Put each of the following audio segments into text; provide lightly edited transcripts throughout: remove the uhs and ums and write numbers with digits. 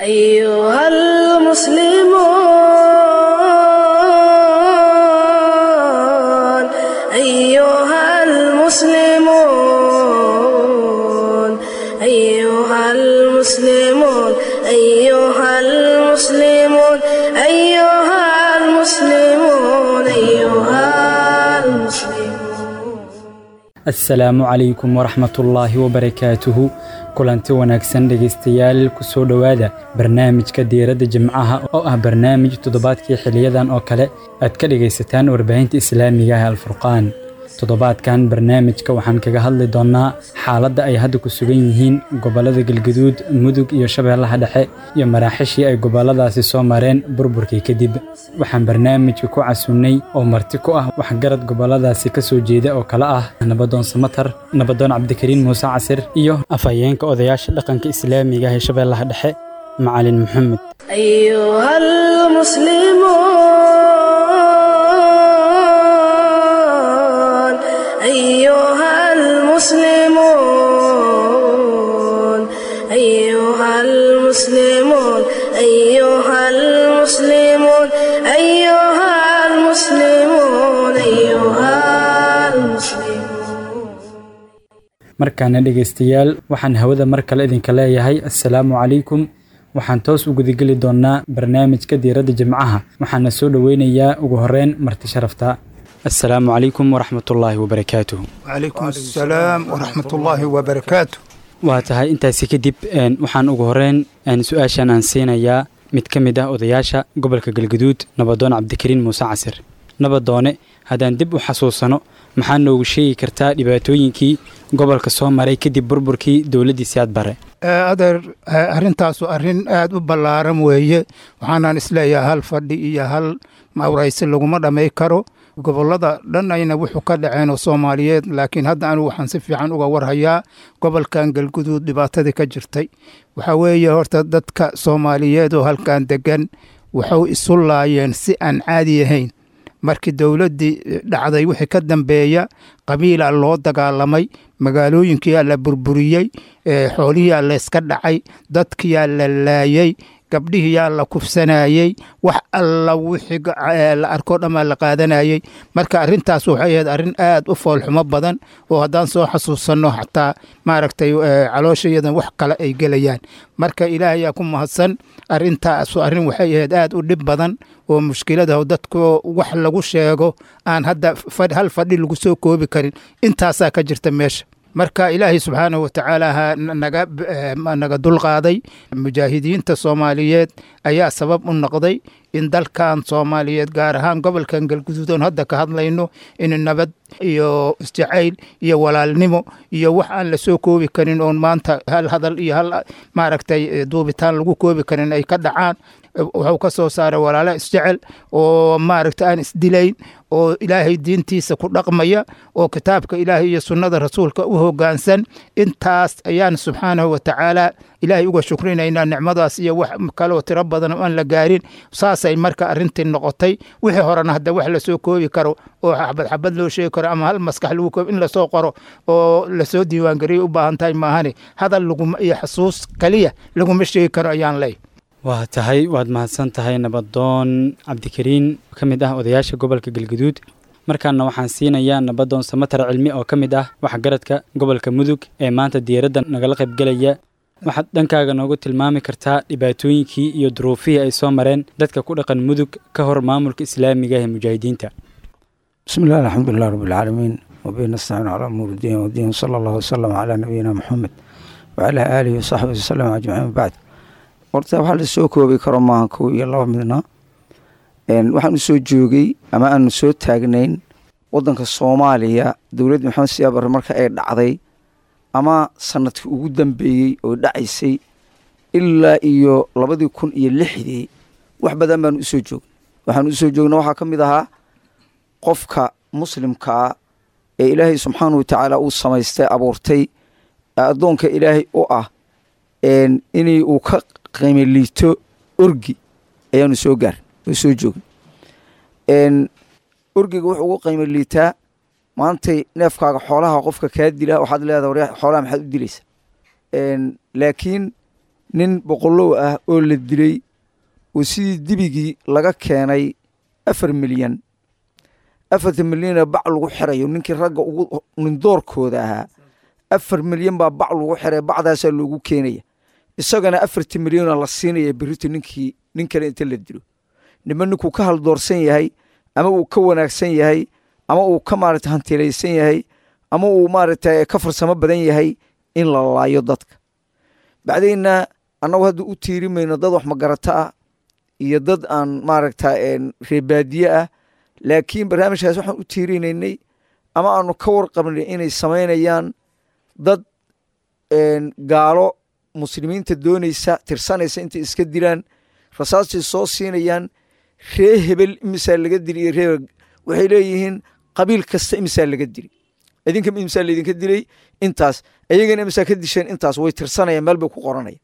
أيها المسلمون، أيها المسلمون، أيها المسلمون، أيها المسلمون، أيها المسلمون. Assalaamu calaykum waraxmatullaahi wabarakaatuhu. Kulanti wanaagsan dhegaystayaal, kusoo dhowaada barnaamijka Diiradda Jimcaha oo ah barnaamij toddobaadkii xiliyadan oo kale aad ka dhegaysataan warbaahinta islaamiga ah Alfurqaan. Toddobaadkan barnaamijka waxaan kaga hadli doonnaa xaaladda ay hadda ku sugan yihiin gobollada Galgaduud, Mudug iyo Shabeellaha Dhexe iyo maraaxishii ay gobolladaasi soo mareen burburkii kadib. Waxaan barnaamijka ku casunnay oo marti ku ah waxgarad gobolladaasi ka soo jeeda oo kale ah Nabadoon Samatar, Nabadoon Cabdikariin Muuse Casir iyo afhayeenka odayaasha dhaqanka islaamiga ah ee Shabeellaha Dhexe, Macalin Maxamed. أيها المسلمون، أيها المسلمون، أيها المسلمون، أيها المسلمون، أيها المسلمون. Markaana dhegaystayaal, waxaan hawada mar kale idinka leeyahay assalaamu calaykum. Waxaan toos u gudageli doonnaa barnaamijka Diiradda Jimcaha, waxaana soo dhoweynayaa ugu horreyn marti sharafta. Assalaamu calaykum waraxmatullaahi wabarakaatuh. وعليكم السلام ورحمة الله وبركاته. Waa tahay, intaasi kadib waxaan ugu horreyn su-aashan aan siinayaa mid ka mid ah odayaasha gobolka Galgaduud, Nabadoon Cabdikariin Muuse Casir. Nabadoone, haddaan dib u xasuusano, maxaa noogu sheegi kartaa dhibaatooyinkii gobolka soo maray kadib burburkii dowladdii Siyaad Bare? Adeer, arrintaasu arrin aad u ballaaran weeye. Waxaanaan isleeyahay hal fadhi iyo hal mawraysi laguma dhamay karo gobollada dhan ayna wuxuu ka dhaceen oo Soomaaliyeed, laakiin hadda anigu waxaan si fiican uga warhayaa gobolkan Galguduud dhibaatadii ka jirtay. Waxaa weeye, horta dadka Soomaaliyeed oo halkan degan waxay isu laayeen si aan caadi ahayn. Markii dowladdii dhacday wixii ka dambeeya, qabiilaa loo dagaalamay, magaalooyinkiyaa la burburiyey, xoolihiyaa layska dhacay, dadkiyaa la laayey, gabdhihiyaa la kufsanayey, wax alla wixii la arkoo dhammaa la qaadanayey. Marka arrintaas waxay ahayd arrin aad u foolxumo badan oo haddaan soo xasuusanno xataa maaragtay calooshayadan wax kale ay gelayaan. Marka Ilaahayaa ku mahadsan. Arrintaas arrin waxay ahayd aad u dhib badan oo mushkilada dadku wax lagu sheego aan hadda hal fadhi lagu soo koobi karin. Intaasaa ka jirta meesha. Marka Ilaahay subxaanahu watacaala ha naga naga dulqaaday. Mujaahidiinta Soomaaliyeed ayaa sabab u noqday in dalkan Soomaaliyeed, gaar ahaan gobolkan Galguduud oon hadda ka hadlayno, in nabad iyo isjacayl iyo walaalnimo iyo wax aan la soo koobi karin oon maanta hal hadal iyo hal maaragtay duubitaan lagu koobi karin ay ka dhacaan. Wuxuu ka soo saaray walaalo isjecel oo maaragta aan isdilayn oo Ilaahay diintiisa ku dhaqmaya oo kitaabka Ilaahay iyo sunnada rasuulka u hoggaansan. Intaas ayaan subxaanahu watacaala Ilaahay uga shukrinaynaa, nicmadaas iyo wax kaloo tiro badan oo aan la gaarin. Saasay marka arrintii noqotay. Wixii horena hadda wax lasoo koobi karo oo xabad xabad loo sheegi karo ama hal maskax lagu koobi in lasoo qoro oo lasoo diiwaangariyo u baahan tahay maahane, hadal laguma iyo xasuus kaliya laguma sheegi karo ayaan leey. Waa tahay, waad mahadsan tahay Nabadoon Cabdikariin, ka mid ah odayaasha gobolka Galgaduud. Markaana waxaan siinayaa Nabadoon Samatar Cilmi oo ka mid ah waxgaradka gobolka Mudug ee maanta diiradda nagala qaybgelaya. Waxaad dhankaaga noogu tilmaami kartaa dhibaatooyinkii iyo duruufihii ay soo mareen dadka ku dhaqan Mudug ka hor maamulka islaamiga ah ee mujaahidiinta? بسم الله، الحمد لله رب العالمين، وبه نستعين على أمور الدين والدين، صلى الله وسلم على نبينا محمد وعلى آله وصحبه وسلم أجمعين، بعد. Horta waxaa la soo koobi karo maaha kow iyo laba midna. Waxaanu soo joogay ama aanu soo taagnayn wadanka Soomaaliya dowladda Maxamed Siyaad Barre marka ay dhacday ama sanadkii ugu dambeeyey oo dhacaysay ilaa iyo 2006-dii, wax badan baanu usoo joognay. Waxaanu usoo joognay waxaa ka mid ahaa qofka muslimkaa ee Ilaahay subxaanahu watacaala uu samaystay, abuurtay, addoonka Ilaahay u ah, inay uu ka qiimo liito orgi ayaanu soo gaar oo soo joognay. Orgiga wuxuu ugu qiimo liitaa, maantay neefkaaga xoolaha qofka kaa dila waxaad leedahay, "Waryaa, xoolaha maxaad u dilaysaa?" Laakiin Nin boqolow ah oo la dilay oo sidii dibigii laga keenay 4 milyan, 4-ta milyana bac lagu xirayo, ninkii ragga ugu nindoorkooda ahaa, 4 milyan baa bac lagu xiray, bacdaasaa loogu keenaya, isagana 4-ta milyana la siinaya. Berrito ninkii nin kale inta la dilo, nima ninkuu ka haldoorsan yahay ama uu ka wanaagsan yahay ama uu ka maarata hantilaysan yahay ama uu maaragta ka farsamo badan yahay, in la laayo dadka. Bacdayna annagu hadda u tiirimayno dad wax magarata ah iyo dad aan maaragta reebaadiye ah, laakiin barnaamijkaas waxaan u tiirinaynay ama aanu ka warqabnay inay samaynayaan dad gaalo muslimiinta doonaysa, tirsanaysa, intay iska dilaan rasaastay soo siinayaan. Ree hebel imisaa laga dili iyo ree, waxay leeyihiin qabiil kasta imisaa laga dili, idinka imisaa laydinka dilay intaas, ayagana imisaa ka disheen intaas. Way tirsanayaan, meel bay ku qoranaya.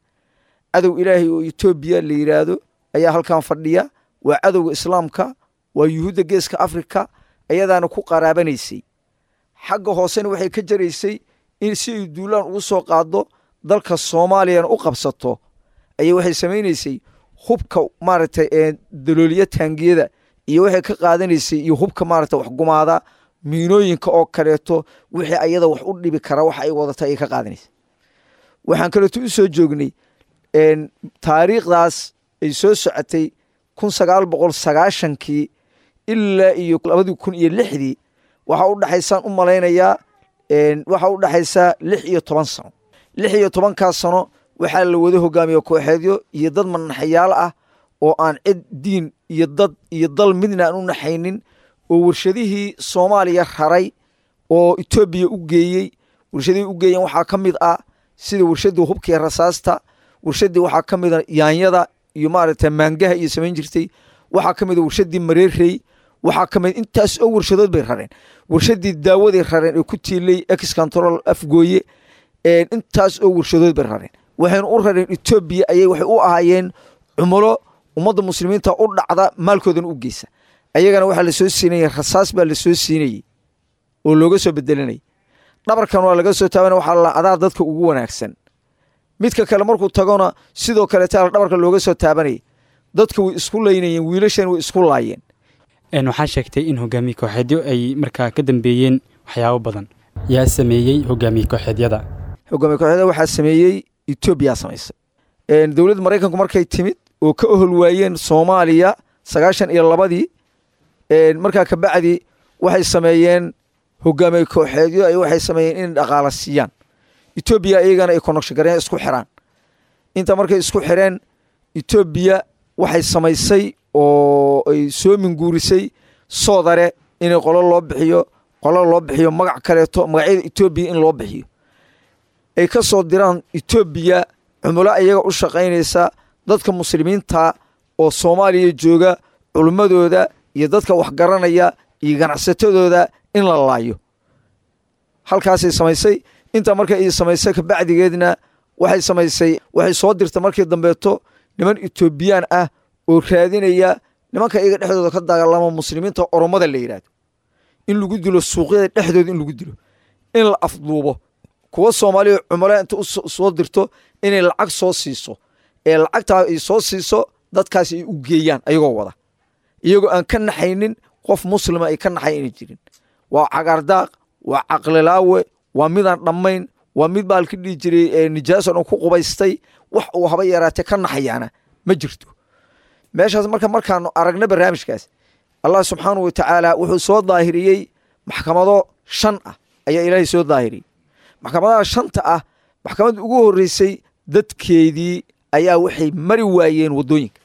Cadow Ilaahay oo Etoobiya la yidhaahdo ayaa halkan fadhiya. Waa cadowga Islaamka, waa Yuhuudda Geeska Afrika. Ayadaana ku qaraabanaysay xagga hoosena, waxay ka jaraysay in si ay duulaan ugu soo qaado dalka Soomaaliyana u qabsato ayay waxay samaynaysay hubka maaragtay dalooliya taangiyada iyo waxay ka qaadanaysay iyo hubka maaragtay waxgumaada, miinooyinka oo kaleeto, wixii ayada wax u dhibi kara waxa ay wadata ayay ka qaadanaysay. Waxaan kaleeto u soo joognay taariikhdaas ay soo socotay 1990-kii ilaa iyo 2006-dii. Waxaa u dhexaysaan u malaynayaa, waxaa u dhexaysaa 16 sano. 16-kaas sano waxaa la wada hogaamiye kooxeedyo iyo dad manaxayaal ah oo aan cid diin iyo dad iyo dal midna aan u naxaynin, oo warshadihii Soomaaliya raray oo Etoobiya u geeyey. Warshadihii u geeyeen waxaa ka mid ah sida warshadii hubka iyo rasaasta, warshadii waxaa ka mid a yaanyada iyo maaragtay maangaha iyo samayn jirtay, waxaa ka mid a warshadii mareerey, waxaa ka mid intaas oo warshadood bay rareen. Warshadii daawaday rareen ee ku tiilay Ex Control Afgooye. Intaas oo warshadood bay rareen, waxayna u rareen Etoobiya. Ayay waxay u ahaayeen cumulo ummadda muslimiinta u dhacda, maalkoodana u geysa. Ayagana waxaa lasoo siinayay rasaas baa lasoo siinayey oo looga soo bedelinayay. Dhabarkan waa laga soo taabana, waxaa la adaa dadka ugu wanaagsan. Midka kale markuu tagona sidoo kaleeta dhabarka looga soo taabanayay. Dadka way isku laynayeen, wiilashan way isku laayeen. Waxaa sheegtay in hogaamiye kooxeedyo ay markaa ka dambeeyeen waxyaabo badan. Yaa sameeyey hogaamiye kooxeedyada? Hogaamiye kooxeedyada waxaa sameeyey Etoobiya samaysay. Dowladda Maraykanku markay timid oo ka ohol waayeen Soomaaliya 92-dii, markaa kabacdi waxay sameeyeen hogaamiye kooxeedyo ay waxay sameeyeen inay dhaqaala siiyaan Etoobiya, iyagana ay connection gareyn, isku xiraan. Inta markay isku xireen, Etoobiya waxay samaysay oo ay soo minguurisay soodare inay qolo loo bixiyo, qolo loo bixiyo magac kaleeto, magacyada Etoobiya in loo bixiyo, ay ka soo diraan Etoobiya cumulo iyaga u shaqaynaysa, dadka muslimiinta oo Soomaaliya jooga culimmadooda iyo dadka waxgaranaya iyo ganacsatadooda in la laayo. Halkaasay samaysay. Intaa markay ay samaysay kabacdigeedna waxay samaysay, waxay soo dirtay markii dambeeto niman Etoobiyaan ah oo raadinaya nimanka iyaga dhexdooda ka dagaalama, muslimiinta Oromada la yidhaahdo, in lagu dilo suuqyada dhexdooda, in lagu dilo, in la afduubo kuwa Soomaaliya. Cumalo inta u soo dirto inay lacag soo siiso, ee lacagtaa ay soo siiso dadkaas ay u geeyaan, ayagoo wada, iyagoo aan ka naxaynin qof muslima ay ka naxay inay jirin. Waa cagaardaaq, waa caqlilaawe, waa midaan dhammayn, waa mid baalka dhihi jiray nijaaso dhan ku qubaystay. Wax uu haba yaraatee ka naxayaana ma jirto meeshaas. Marka markaanu aragna barnaamijkaas, Allah subxaanahu wa tacaala wuxuu soo daahiriyey maxkamado shan ah ayaa Ilaahay soo daahiriyey. Maxkamadaha shanta ah, maxkamadda ugu horreysay dadkeedii ayaa waxay mari waayeen waddooyinka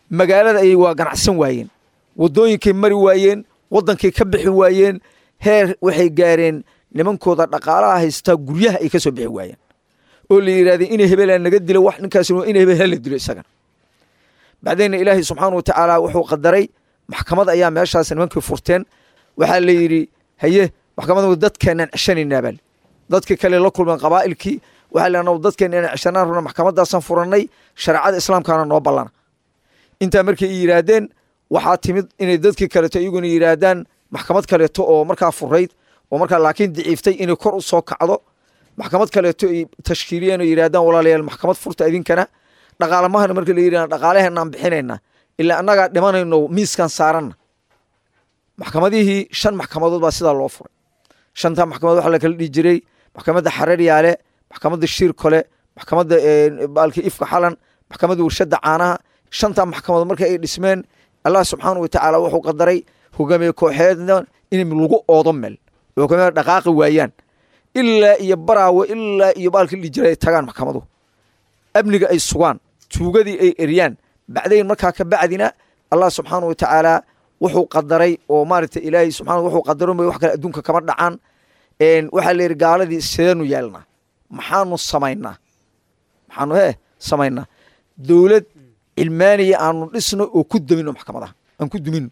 magaalada, ayay waa ganacsan waayeen, waddooyinkay mari waayeen, waddankay ka bixi waayeen. Heer waxay gaareen nimankooda dhaqaalaha haystaa guryaha ay ka soo bixi waayeen, oo la yidhahdee ina hebelaa naga dilo, wax ninkaas ina hebel hala dilo isagana. Bacdeenna Ilaahay subxaana wa tacaala wuxuu qadaray maxkamad ayaa meeshaas nimankii furteen. Waxaa la yidhi, haye, maxkamadda dadkeenaan ceshanaynaa baa dadkii kale la kulmeen qabaa'ilkii. Waxaa la dadkeena inaan ceshanaan rabna, maxkamadaasaan furannay, shareecada Islaamkaana noo ballana. Intaa markay yidhaahdeen, waxaa timid inay dadkii kaleeto iyaguna yidhaahdaan maxkamad kaleeto oo markaa furayd oo markaa laakiin daciiftay inay kor u soo kacdo. Maxkamad kaleeto ay tashkiiliyeen oo yidhahdaan, walaalayaal, maxkamad furta idinkana. Dhaqaalamahana marka la yidhahda, dhaqaalaheenaan bixinaynaa, ilaa annagaa dhimanayno miiskan saaranna. Maxkamadihii 5 maxkamadood baa sidaa loo furay. Shantaa maxkamadood waxaa la kala dhihi jiray maxkamadda Xararyaale, maxkamadda Shiirkole, maxkamadda baalki Ifka Xalan, maxkamadda Warshadda Caanaha. Shantaa maxkamadood marka ay dhismeen, Allah subxaana watacaala wuxuu qadaray hogaamiye kooxeedna in lagu oodo meel, hogaamiye dhaqaaqi waayaan ilaa iyo Baraawe, ilaa iyo baalki dhihi jiray ay tagaan maxkamaduhu, amniga ay sugaan, tuugadii ay eryaan. Bacdayn markaa ka bacdina Allah subxaana watacaala wuxuu qadaray oo maaragtay Ilaahay subxaana wuxuu qadaro wax kale adduunka kama dhacaan. Waxaa la yidhi, gaaladii sideenu yeelnaa? Maxaanu samaynaa? Maxaanu samaynaa? Dowlad cilmaaniya aanu dhisno oo ku dumino maxkamadaha, aan ku dumino,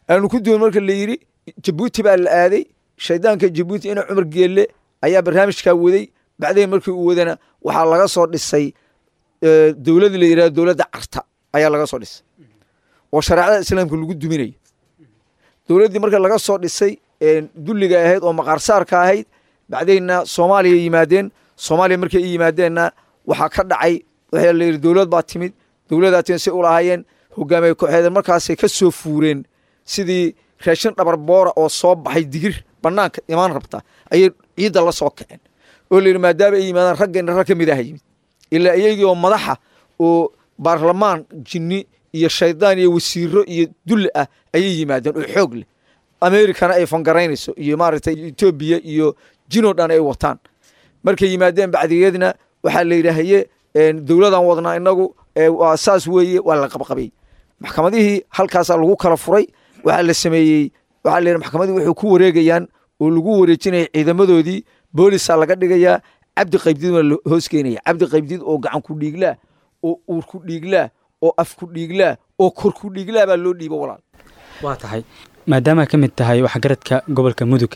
aanu ku dumin. Marka la yidhi, Jabuuti baa la aaday. Shaydaanka Jabuuti ina Cumar Geelle ayaa barnaamijkaa waday. Bacdayn markii uu wadana waxaa laga soo dhisay dowlad la yidhahdo dowladda Carta ayaa laga soo dhisay oo shareecada islaamka lagu duminayo. Dowladdii marka laga soo dhisay dulliga ahayd oo maqaarsaarka ahayd, bacdayna Soomaaliya yimaadeen. Soomaaliya markay i yimaadeenna waxaa ka dhacay, waxaa la yidhi dowlad baa timid, dowladaa timid say u lahaayeen hogaamiye kooxeed. Markaasay ka soo fuureen sidii raashin dhabar boora oo soo baxay, digir banaanka imaan rabta ayay ciidda la soo kaceen, oo la yidhi maadaama ay yimaadaan raggeenna rag ka mid ah yimid, ilaa iyagii oo madaxa oo baarlamaan jinni iyo shaydaan iyo wasiiro iyo dulli ah ayay yimaadeen oo xoog leh, Amerikana ay fangaraynayso iyo maaragtay Etoobiya iyo jinoo dhan ay wataan. Markay yimaadeen bacdigeedna waxaa la yidhi, haye, dowladan wadnaa inagu, waa saas weeye. Waa la qabqabay maxkamadihii, halkaasaa lagu kala furay. Waxaa la sameeyey, waxaa la yidhi maxkamadii waxay ku wareegayaan oo lagu wareejinaya ciidamadoodii, boolisaa laga dhigayaa. Cabdi Qaybdiid waa la hoos keenaya, Cabdi Qaybdiid oo gacan ku dhiiglaa oo uur ku dhiiglaa oo af ku dhiiglaa oo kor ku dhiiglaa baa loo dhiibo, walaal. Waa tahay, maadaama ka mid tahay waxgaradka gobolka Mudug,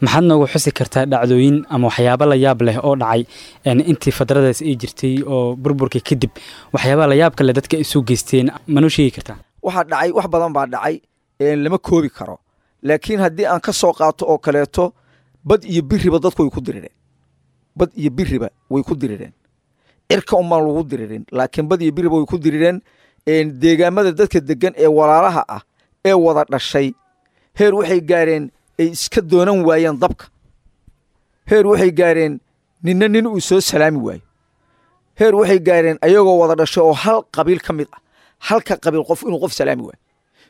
maxaad noogu xusi kartaa dhacdooyin ama waxyaabo la yaab leh oo dhacay intii fadradaas ay jirtay oo burburkii kadib, waxyaabaha la yaabka leh dadka isu geysteen manoo sheegi kartaa? Waxaa dhacay wax badan baa dhacay, lama koobi karo, laakiin haddii aan ka soo qaato oo kaleeto, bad iyo biriba dadku way ku dirireen, bad iyo biriba way ku dirireen. Cirka unbaan lagu diririn, laakiin bad iyo biriba way ku dirireen. Deegaamada dadka degan ee walaalaha ah ee wada dhashay, heer waxay gaareen ay iska doonan waayeen dabka, heer waxay gaareen ninna nin uu soo salaami waayo, heer waxay gaareen ayagoo wada dhashay oo hal qabiil ka mid ah, halka qabiil qof inuu qof salaami waayo,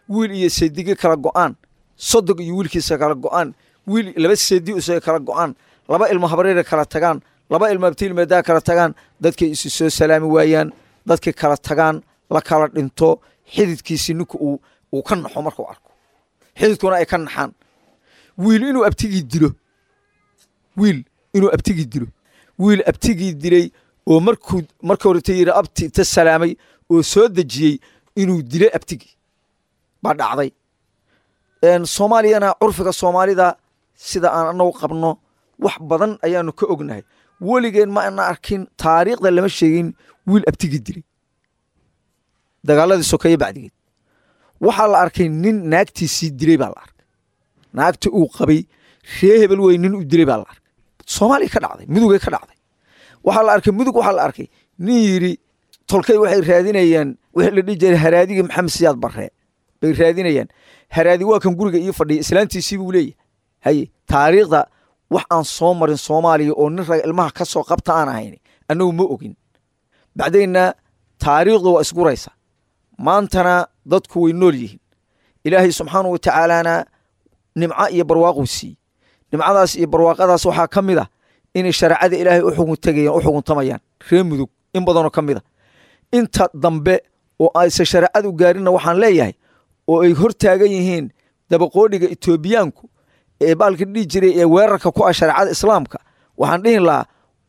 wiil iyo seedigi kala go'aan, sodog iyo wiilkiisa kala go'aan, wiil laba seedi isaga kala go'aan, laba ilmo habreera kala tagaan, laba ilmo abtiilmeedaa kala tagaan, dadkay isu soo salaami waayaan, dadkay kala tagaan, la kala dhinto, xididkiisii ninka uu ka naxo markuu arko, xididkuna ay ka naxaan. Wiil inuu abtigii dilo, wiil inuu abtigii dilo, wiil abtigii dilay oo markuu marka horeta yidhi abti ta salaamay oo soo dejiyey inuu dilay abtigii baa dhacday. Soomaaliyana curfiga soomaalida sida aan anagu qabno wax badan ayaanu ka ognahay. Weligeen ma ana arkin, taariikhda lama sheegin wiil abtigii dilay. Dagaaladii sokeeye bacdigeed waxaa la arkay nin naagtiisii dilay baa la arkay, naagta uu qabay, ree hebel wey, nin u dilay baa la arkay. Soomaaliya ka dhacday, Mudugay ka dhacday. Waxaa la arkay Mudug, waxaa la arkay nin yidhi tolkay waxay raadinayaan wixii la dhihi jiray haraadigii Maxamed Siyaad Barre bay raadinayaan, haraadi waa kan guriga ii fadhiya, islaantiisii buu leeyahay. Haye, taariikhda wax aan soo marin Soomaaliya oo nin raga ilmaha ka soo qabta aan ahayn annagu ma ogin. Bacdayna taariikhdu waa isguraysa, maantana dadku way nool yihiin. Ilaahay subxaanahu wa tacaalaana nimco iyo barwaaquu siiyey. Nimcadaas iyo barwaaqadaas waxaa ka mid ah inay shareecada Ilaahay u xugun tegayaan, u xuguntamayaan reer Mudug in badanoo ka mid a. Inta dambe oo aysan shareecadu gaarinna waxaan leeyahay oo ay hor taagan yihiin dabaqoodhiga Etoobiyaanku ee baalka dhihi jiray ee weerarka ku ah shareecada islaamka, waxaan dhihin lahaa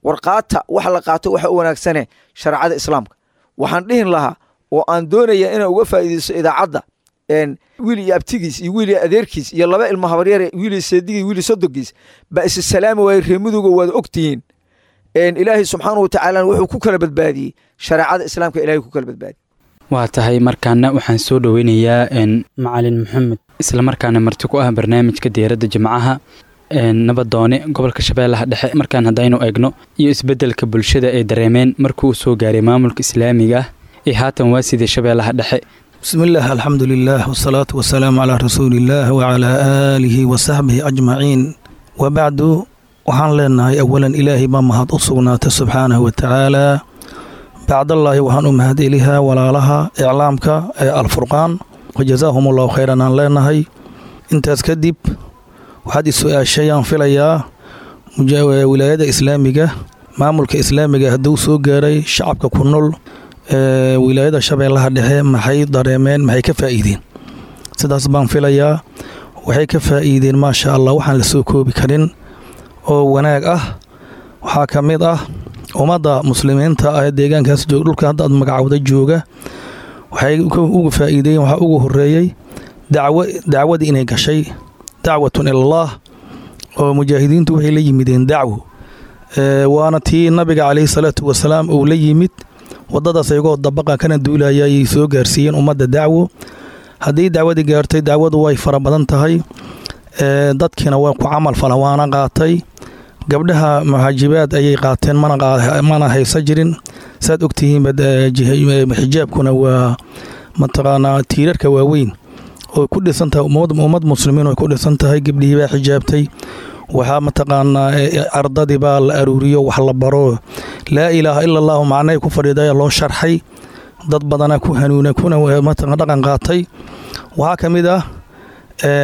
warqaata wax la qaato waxa u wanaagsane shareecada islaamka. Waxaan dhihin lahaa oo aan doonaya inaan uga faa'iideysto idaacadda, wiil iyo abtigiis iyo wiil iyo adeerkiis iyo laba ilmo habaryare, wiil iyo seedigii, wiil iyo sodogiis baa isa salaami waayey. Reer Muduga waad ogtihiin, Ilaahay subxaanahu wa tacaala wuxuu ku kala badbaadiyey shareecada islaamka, Ilaahay ku kala badbaadiyey. Waa tahay, markaana waxaan soo dhoweynayaa Macalin Maxamed, islamarkaana marti ku ah barnaamijka Diiradda Jimcaha. Nabadoone, gobolka Shabeellaha Dhexe markaan haddaynu eegno iyo isbeddelka bulshada ay dareemeen markuu soo gaaray maamulka islaamiga ah ee haatan waa sidee Shabeellaha Dhexe? Bismi illaah, alxamdu lilah, wasalaatu wasalaamu calaa rasuuliillaah wacalaa aalihi wa saxbihi ajmaciin, wabacdu. Waxaan leenahay awalan, Ilaahay baa mahad u sugnaatay subxaanahu wa tacaalaa. Bacdallaahi waxaan u mahad elihaa walaalaha iclaamka ee Alfurqaan, wajazaahum allahu khayran aan leenahay. Intaas kadib, waxaad is-su-aashay aan filayaa wilaayada islaamiga, maamulka islaamiga hadduu soo gaaray shacabka ku nool wilaayada Shabeellaha Dhexe, maxay dareemeen, maxay ka faa'iideen? Sidaas baan filayaa. Waxay ka faa'iideen, maasha Allah, waxaan la soo koobi karin oo wanaag ah. Waxaa ka mid ah ummadda muslimiinta ah ee deegaankaas joog, dhulka hadda aad magacawda jooga, waxay uga faa'iideeyeen waxaa ugu horeeyey dacwo, dacwadii inay gashay, dacwatun ilallaah, oo mujaahidiintu waxay la yimideen dacwo, waana tii Nabiga caleyhi salaatu wasalaam uu la yimid. Wadadaas ayagoo dabaqa kana duulaya ayay soo gaarsiiyeen ummadda dacwo. Haddii dacwadii gaartay, dacwadu way fara badan tahay, dadkiina waa ku camal fala, waana qaatay. Gabdhaha muxaajibaad ayay qaateen, mana haysa jirin. Saad ogtihiinba, xijaabkuna waa mataqaanaa tiirarka waaweyn oo ku dhisan tahay ummad muslimiin oo ku dhisan tahay. Gabdhihii baa xijaabtay. Waxaa mataqaanaa ardadii baa la aruuriyo, wax la baro, laa ilaaha ila allahu macnay ku fadhiidaya loo sharxay. Dad badana ku hanuuna kuna mataqan dhaqan qaatay. Waxaa ka mid ah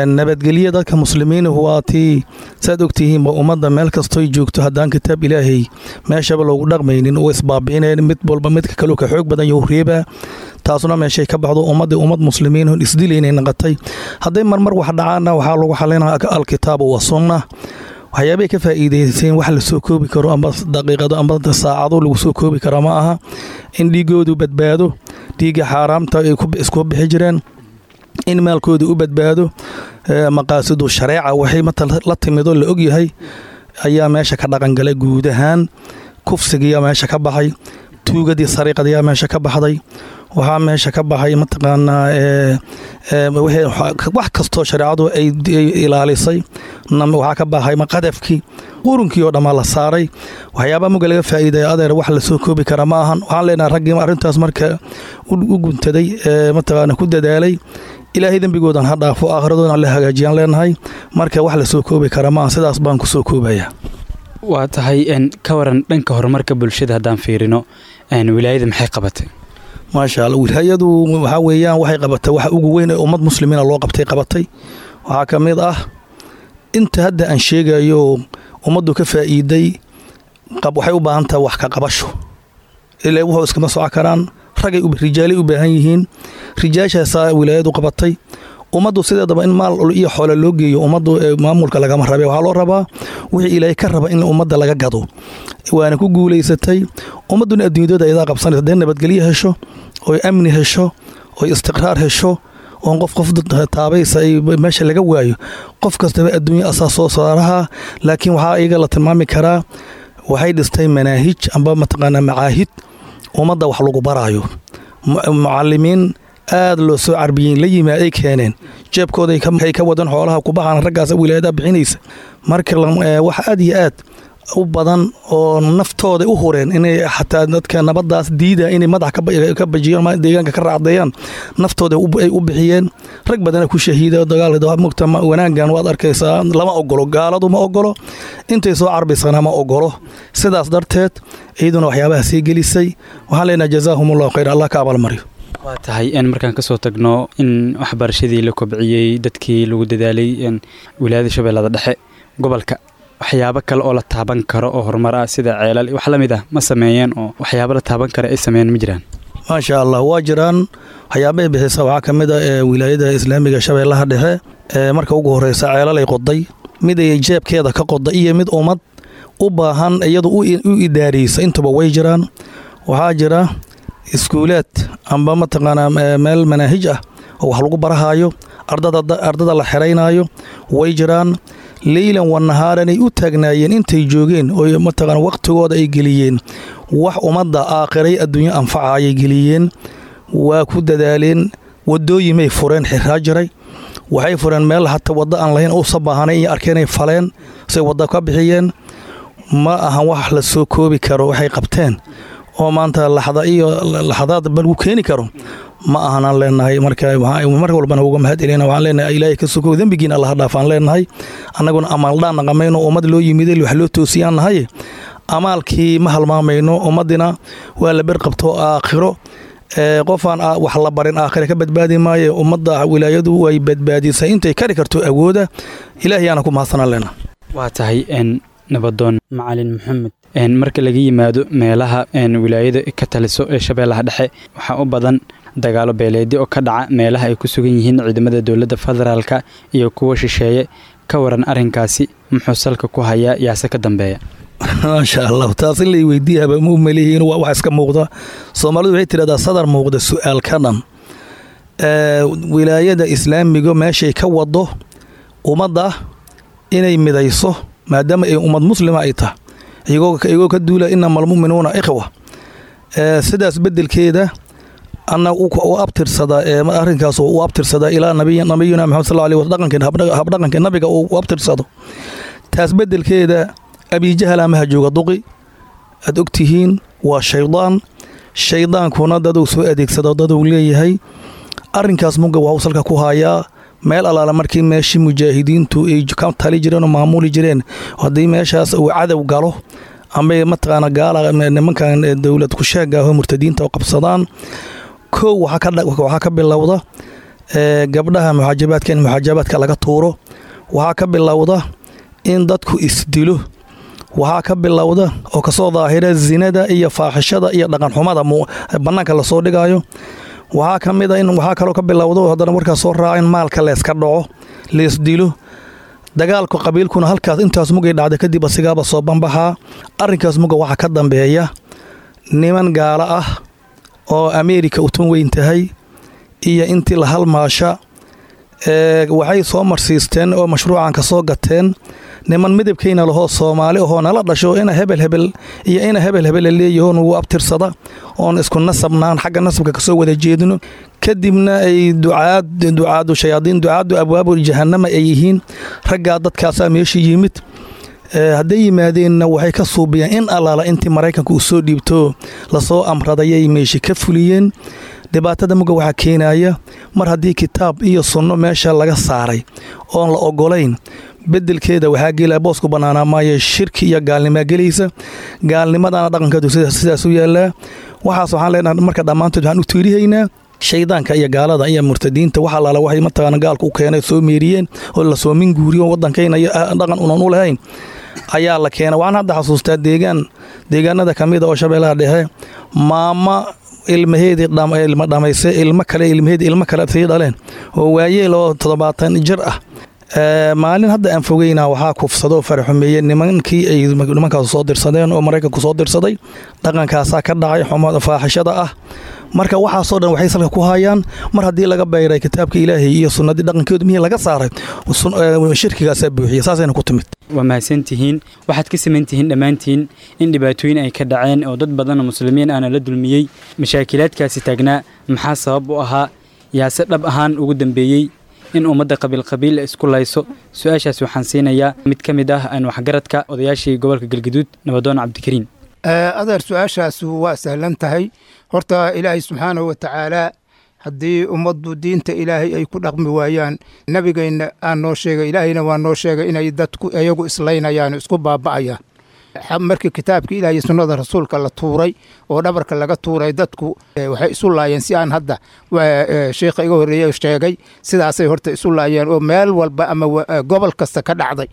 nabadgelyo dadka muslimiinuhu. Waa tii saad ogtihiinba, ummadda meel kastoy joogto haddaan kitaab Ilaahay meeshaba loogu dhaqmaynin oo isbaabi'inayn, mid walba midka kaleu ka xoog badan yahu reebaa. Taasuna meeshay ka baxdo, ummaddii ummad muslimiin isdilaynay noqotay. Hadday marmar wax dhacaanna, waxaa lagu xalinaa alkitaabu wa sunna. Waxyaabay ka faa'iideyseen wax la soo koobi karo amba daqiiqado amba saacado lagu soo koobi karo ma aha. In dhiigoodu badbaado, dhiigga xaaraamta ay isku bixi jireen, in maalkooda u badbaado, maqaasidu shareeca waxay mata la timidoo la ogyahay ayaa meesha ka dhaqangalay. Guud ahaan kufsigiyaa meesha ka baxay, tuugadii sariiqadiyaa meesha ka baxday, waxaa meesha ka baxay mataqaanaa wax kastoo shareecadu ay ilaalisay. Waxaa ka baxay qadafkii, qurunkii oo dhammaa la saaray. Waxyaabaa muga laga faa'iidaya, adeer, wax lasoo koobi kara ma ahan. Waxaan leenahay raggii arrintaas marka u guntaday ee mataqaana ku dadaalay, Ilaahay dembigoodan ha dhaafo, aakhiradoodana la hagaajiyaan leenahay. Marka wax lasoo koobi kara ma aha, sidaas baan kusoo koobaya. Waa tahay. Ka waran dhanka horumarka bulshada haddaan fiirino, wilaayada maxay qabatay? Maasha Allah, wilaayadu waxaa weeyaan waxay qabatay waxa ugu weyn ee ummad muslimiina loo qabtay. Qabatay waxaa ka mid ah inta hadda aan sheegayo ummaddu ka faa'iiday. Waxay u baahan tahay wax ka qabasho, ilaa wuxuu iskama soco karaan. Ragay rijaalay u baahan yihiin, rijaashaasaa wilaayadu qabatay. Ummaddu sideedaba in maal iyo xoole loo geeyo ummaddu maamulka lagama rabe. Waxaa loo rabaa wixii Ilaahay ka raba in ummadda laga gado, waana ku guulaysatay. Ummadduna adduunyadooda ayadaa qabsanaysa hadday nabadgelyo hesho, oy amni hesho, oy istiqraar hesho, oon qof qof taabaysa ay meesha laga waayo. Qof kastaba adduunya asaa soo saaraha. Laakiin waxaa iyaga la tilmaami karaa, waxay dhistay manaahij amba mataqaanaa macaahid ummadda wax lagu baraayo. Mucalimiin aad loo soo carbiyeyn la yimi ay keeneen, jeebkooda ay ka wadan, xoolaha kubaxaan raggaas wilaayadaha bixinaysa. Marka wax aad iyo aad u badan oo naftooda u hureen inay xataa dadka nabadaas diida inay madax ka bajiyaan, deegaanka ka raacdeeyaan, naftooda ay u bixiyeen. Rag badana ku shahiida dagaalka. Mugta wanaaggan waad arkaysaa, lama ogolo, gaaladu ma ogolo, intay soo carbiysana ma ogolo. Sidaas darteed iyaduna waxyaabaha sii gelisay. Waxaan leenahay jazaahum allahu khayr, Allah ka abaalmariyo. Waa tahay. Markaan kasoo tagno in waxbarashadii la kobciyey, dadkii lagu dadaalay, wilaayada Shabeellada Dhexe gobolka waxyaabo kale oo la taaban karo oo horumar ah, sida ceelal wax la mid ah, ma sameeyeen? Oo waxyaabo la taaban kara ay sameeyeen ma jiraan? Maasha Allah, waa jiraan. Waxyaabahay bixisa waxaa ka mid ah ee wilaayada islaamiga Shabeellaha Dhexe ee marka ugu horeysa ceelal ay qoday, mid ay jeebkeeda ka qoday iyo mid ummad u baahan iyadu u idaariysa, intuba way jiraan. Waxaa jira iskuulaad amba mataqaanaa meel manaahij ah oo wax lagu barahaayo, ardada la xeraynaayo way jiraan. Leylan wa nahaaranay u taagnaayeen intay joogeen oo mataqaana waqtigooda ay geliyeen. Wax ummadda aakhiray adduunyo anfaca ayay geliyeen, waa ku dadaaleen. Wadooyimay fureen xiraa jiray. Waxay fureen meel hata waddo aan lahayn uusa baahanay iyo arkeenay faleen, say wadda ka bixiyeen. Ma ahan wax la soo koobi karo waxay qabteen oo maanta laxda iyo laxdaad ba lagu keeni karo ma ahanaan leenahay. Marka mar walbana uga mahad celina, waxaan leenahay Ilaahay ka soko dembigiina Allah dhaafaan leenahay. Annaguna amaaldhaan naqamayno, ummad loo yimiday wax loo toosiyaan nahay, amaalkii ma halmaamayno. Ummadina waa la berqabto aakhiro, qofaan wax la barin aakhire ka badbaadi maayo. Ummadda wilaayadu way badbaadisay intay kari karto awooda, Ilaahay aana ku mahadsanaan leenahay. Waa tahay nabadoon Macalin Maxamed. Marka laga yimaado meelaha wilaayada ka taliso ee Shabeellaha Dhexe, waxaa u badan dagaalo beeleedyo oo ka dhaca meelaha ay ku sugan yihiin ciidamada dowladda federaalka iyo kuwa shisheeye. Ka waran arrinkaasi, muxuu salka ku hayaa, yaase ka dambeeya? Maasha Allah, taas in lay weydiiyaba ma u malihiin, waa wax iska muuqda. Soomaalidu waxay tidhahdaa sadar muuqda su-aal ka dhan. Wilaayada islaamiga meeshay ka wado ummadda inay midayso, maadaama ay ummad muslima ay tahay, iyagoo ka duula inama almu'minuuna ikhwa, sidaas beddelkeeda anna u abtirsada arrinkaas u abtirsada ilaa nabiyuna Maxamed sal alay dhaqanka habdhaqanka nabiga uu u abtirsado. Taas beddelkeeda Abijahal amaha jooga duqi aad ogtihiin waa shaydaan, shaydaankuna daduu soo adeegsado daduu leeyahay. Arrinkaas muga waxuu salka ku hayaa meel allaala markii meeshii mujaahidiintu ay ka tali jireen oo maamuli jireen, haddii meeshaas uu cadow galo ama mataqaana gaala nimankan dowlad kusheega oo murtadiinta oo qabsadaan, kow waxaa ka bilowda gabdhaha muxaajabaadka in muxaajabaadka laga tuuro, waxaa ka bilowda in dadku isdilo, waxaa ka bilowda oo kasoo daahira zinada iyo faaxishada iyo dhaqanxumada bannaanka lasoo dhigayo. Waxaa ka mid a in waxaa kaloo ka bilowda oo haddana warkaas soo raaca in maalka leeska dhaco, leesdilo, dagaalku qabiilkuna halkaas intaas mugay dhacda kadib asigaaba soo banbaxaa. Arrinkaas muga waxaa ka dambeeya niman gaalo ah oo Ameerika utun weyn tahay iyo intii la halmaasha. Waxay soo marsiisteen oo mashruucan ka soo gateen niman midabkayna lahoo Soomaali ahoo nala dhasho, ina hebel hebel iyo ina hebel hebel leeyaho nugu abtirsada oon isku nasabnaan, xagga nasabka kasoo wada jeedino, kadibna ay ducaad ducaadu shayaadiin ducaadu abwaabu jahannama ay yihiin raggaa. Dadkaasaa meesha yimid. Hadday yimaadeenna waxay ka suubiyeen in allaala intii Maraykanka uu soo dhiibto lasoo amradayay meesha ka fuliyeen. Dhibaatada muga waxaa keenaya mar haddii kitaab iyo sunno meesha laga saaray oon la ogolayn, bedelkeeda waxaa gelaya boosku bannaanaa maayo shirki iyo gaalnimaa gelaysa, gaalnimadana dhaqankeedu sidaas u yaallaa. Waxaas waxaan leenahay marka dhammaantood waxaan u tiirihaynaa shaydaanka iyo gaalada iyo murtadiinta. Wax allaala waxay mataqaana gaalku u keenay soo meeriyeen oo lasoo minguuriyo waddankayna iyo dhaqan unan u lahayn ayaa la keenay. Waxaan hadda xasuustaa deegaan deegaanada ka mid a oo Shabeellaha Dhexe, maama ilmaheedii ilma dhamaysay, ilmo kale ilmaheedii ilmo kale sii dhaleen oo waayeel oo 70 jir ah, maalin hadda aan fogeyna waxaa kufsado faraxumeeye nimankii ay nimankaas soo dirsadeen oo Maraykanku soo dirsaday. Dhaqankaasaa ka dhacay xumada faaxishada ah. Marka waxaasoo dhan waxay salka ku hayaan mar haddii laga bayray kitaabka Ilaahay iyo sunnadii dhaqankeedu mihii laga saaray, shirkigaasaa buuxiya, saasayna ku timid. Waa mahadsantihiin. Waxaad ka samantihiin dhammaantiin in dhibaatooyin ay ka dhaceen oo dad badan oo muslimiin ahna la dulmiyey. Mashaakilaadkaasi taagnaa maxaa sabab u ahaa, yaase dhab ahaan ugu dambeeyey in ummadda qabiil qabiil isku layso? Su-aashaas waxaan siinayaa mid ka mid ah aan waxgaradka odayaashii gobolka Galgaduud, nabadoon Cabdikariin. Adeer, su-aashaas waa sahlan tahay. Horta Ilaahay subxaanahu wa tacaala haddii ummaddu diinta Ilaahay ay ku dhaqmi waayaan, nabigayna aan noo sheegay, Ilaahayna waa noo sheegay inay dadku iyagu islaynayaan, isku baaba'ayaan. Markii kitaabkii Ilaah iyo sunnada rasuulka la tuuray oo dhabarka laga tuuray, dadku waxay isu laayeen si aan hadda sheikha iga horreeyey sheegay. Sidaasay horta isu laayeen oo meel walba ama gobol kasta ka dhacday.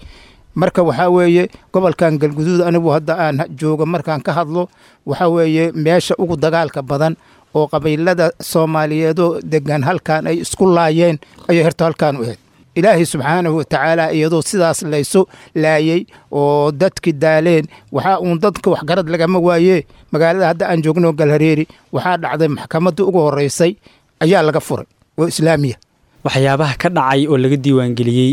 Marka waxaa weeye gobolkan Galguduud anigu hadda aan joogo markaan ka hadlo, waxaa weeye meesha ugu dagaalka badan oo qabiilada Soomaaliyeedoo degan halkan ay isku laayeen ayay horta halkaan u ahayd. Ilaahay subxaanahu watacaala iyadoo sidaas laysu laayey oo dadki daaleen, waxaa uun dadka waxgarad lagama waaye, magaalada hadda aan joogno Galhareeri waxaa dhacday maxkamaddii ugu horreysay ayaa laga furay oo islaamiya. Waxyaabaha ka dhacay oo laga diiwaangeliyey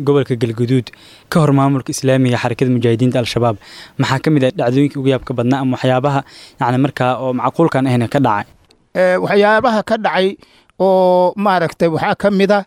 gobolka Galguduud ka hor maamulka islaamiga Xarakada Mujaahidiinta Al-Shabaab maxaa ka mid ah dhacdooyinkii ugu yaabka badnaa ama waxyaabaha yacni markaa oo macquulkan ahna ka dhacay? Waxyaabaha ka dhacay oo maaragtay waxaa ka mid a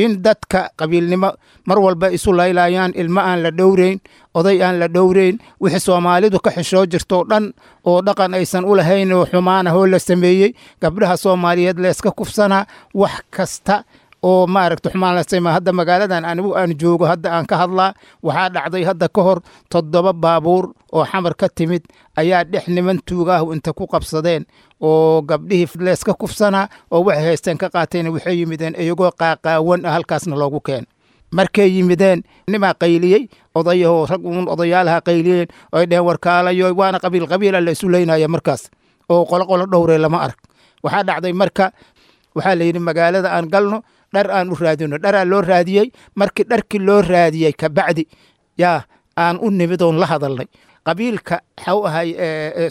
In dadka qabiilnimo mar walba isu laylayaan, ilmo aan la dhowrayn, oday aan la dhowrayn, wixii Soomaalidu ka xishoo jirtoo dhan oo dhaqan aysan u lahayn oo xumaanahoo la sameeyey, gabdhaha Soomaaliyeed la iska kufsanaa, wax kasta oo maaragta xumaan la sameeya. Hadda magaaladan anigu aan joogo hadda aan ka hadlaa, waxaa dhacday hadda ka hor 7 baabuur oo Xamar ka timid ayaa dhex niman tuugaahu inta ku qabsadeen oo gabdhihii leeska kufsanaa oo waxay haysteen ka qaateen. Waxay yimideen iyagoo qaaqaawan ah, halkaasna loogu keen. Markay yimideen nimaa qayliyey, odayahoo rag uun odayaalaha qayliyeen oo ay dheheen warkaalayo, waana qabiil qabiila la isu leynaya markaas oo qolo qolo dhowree lama arag. Waxaa dhacday marka waxaa la yidhi magaalada aan galno, dhar aan u raadino. Dharaa loo raadiyey. Markii dharkii loo raadiyey kabacdi yaa aan u nimid oon la hadalnay qabiilka waxau ahay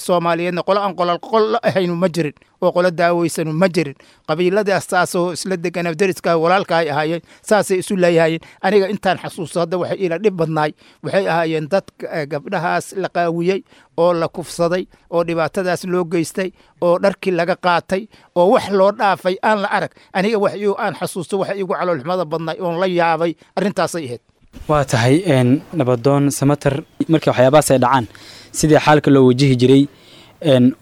Soomaaliyeedna qolo aan qolal qolo ahaynu ma jirin oo qolo daaweysanu ma jirin. Qabiiladaas saasoo isla degana, deriska walaalka ay ahaayeen, saasay isu leeyahayeen. Aniga intaan xasuusto hadda waxay ila dhib badnaay waxay ahaayeen dad gabdhahaas la qaawiyey oo la kufsaday oo dhibaatadaas loo geystay oo dharkii laga qaatay oo wax loo dhaafay aan la arag. Aniga wax aan xasuusto waxa igu caloolxumada badnaay oon la yaabay arrintaasay ahayd. Waa tahay, Nabadoon Samater, markii waxyaabahaas ay dhacaan sidii xaalka loo wajihi jiray,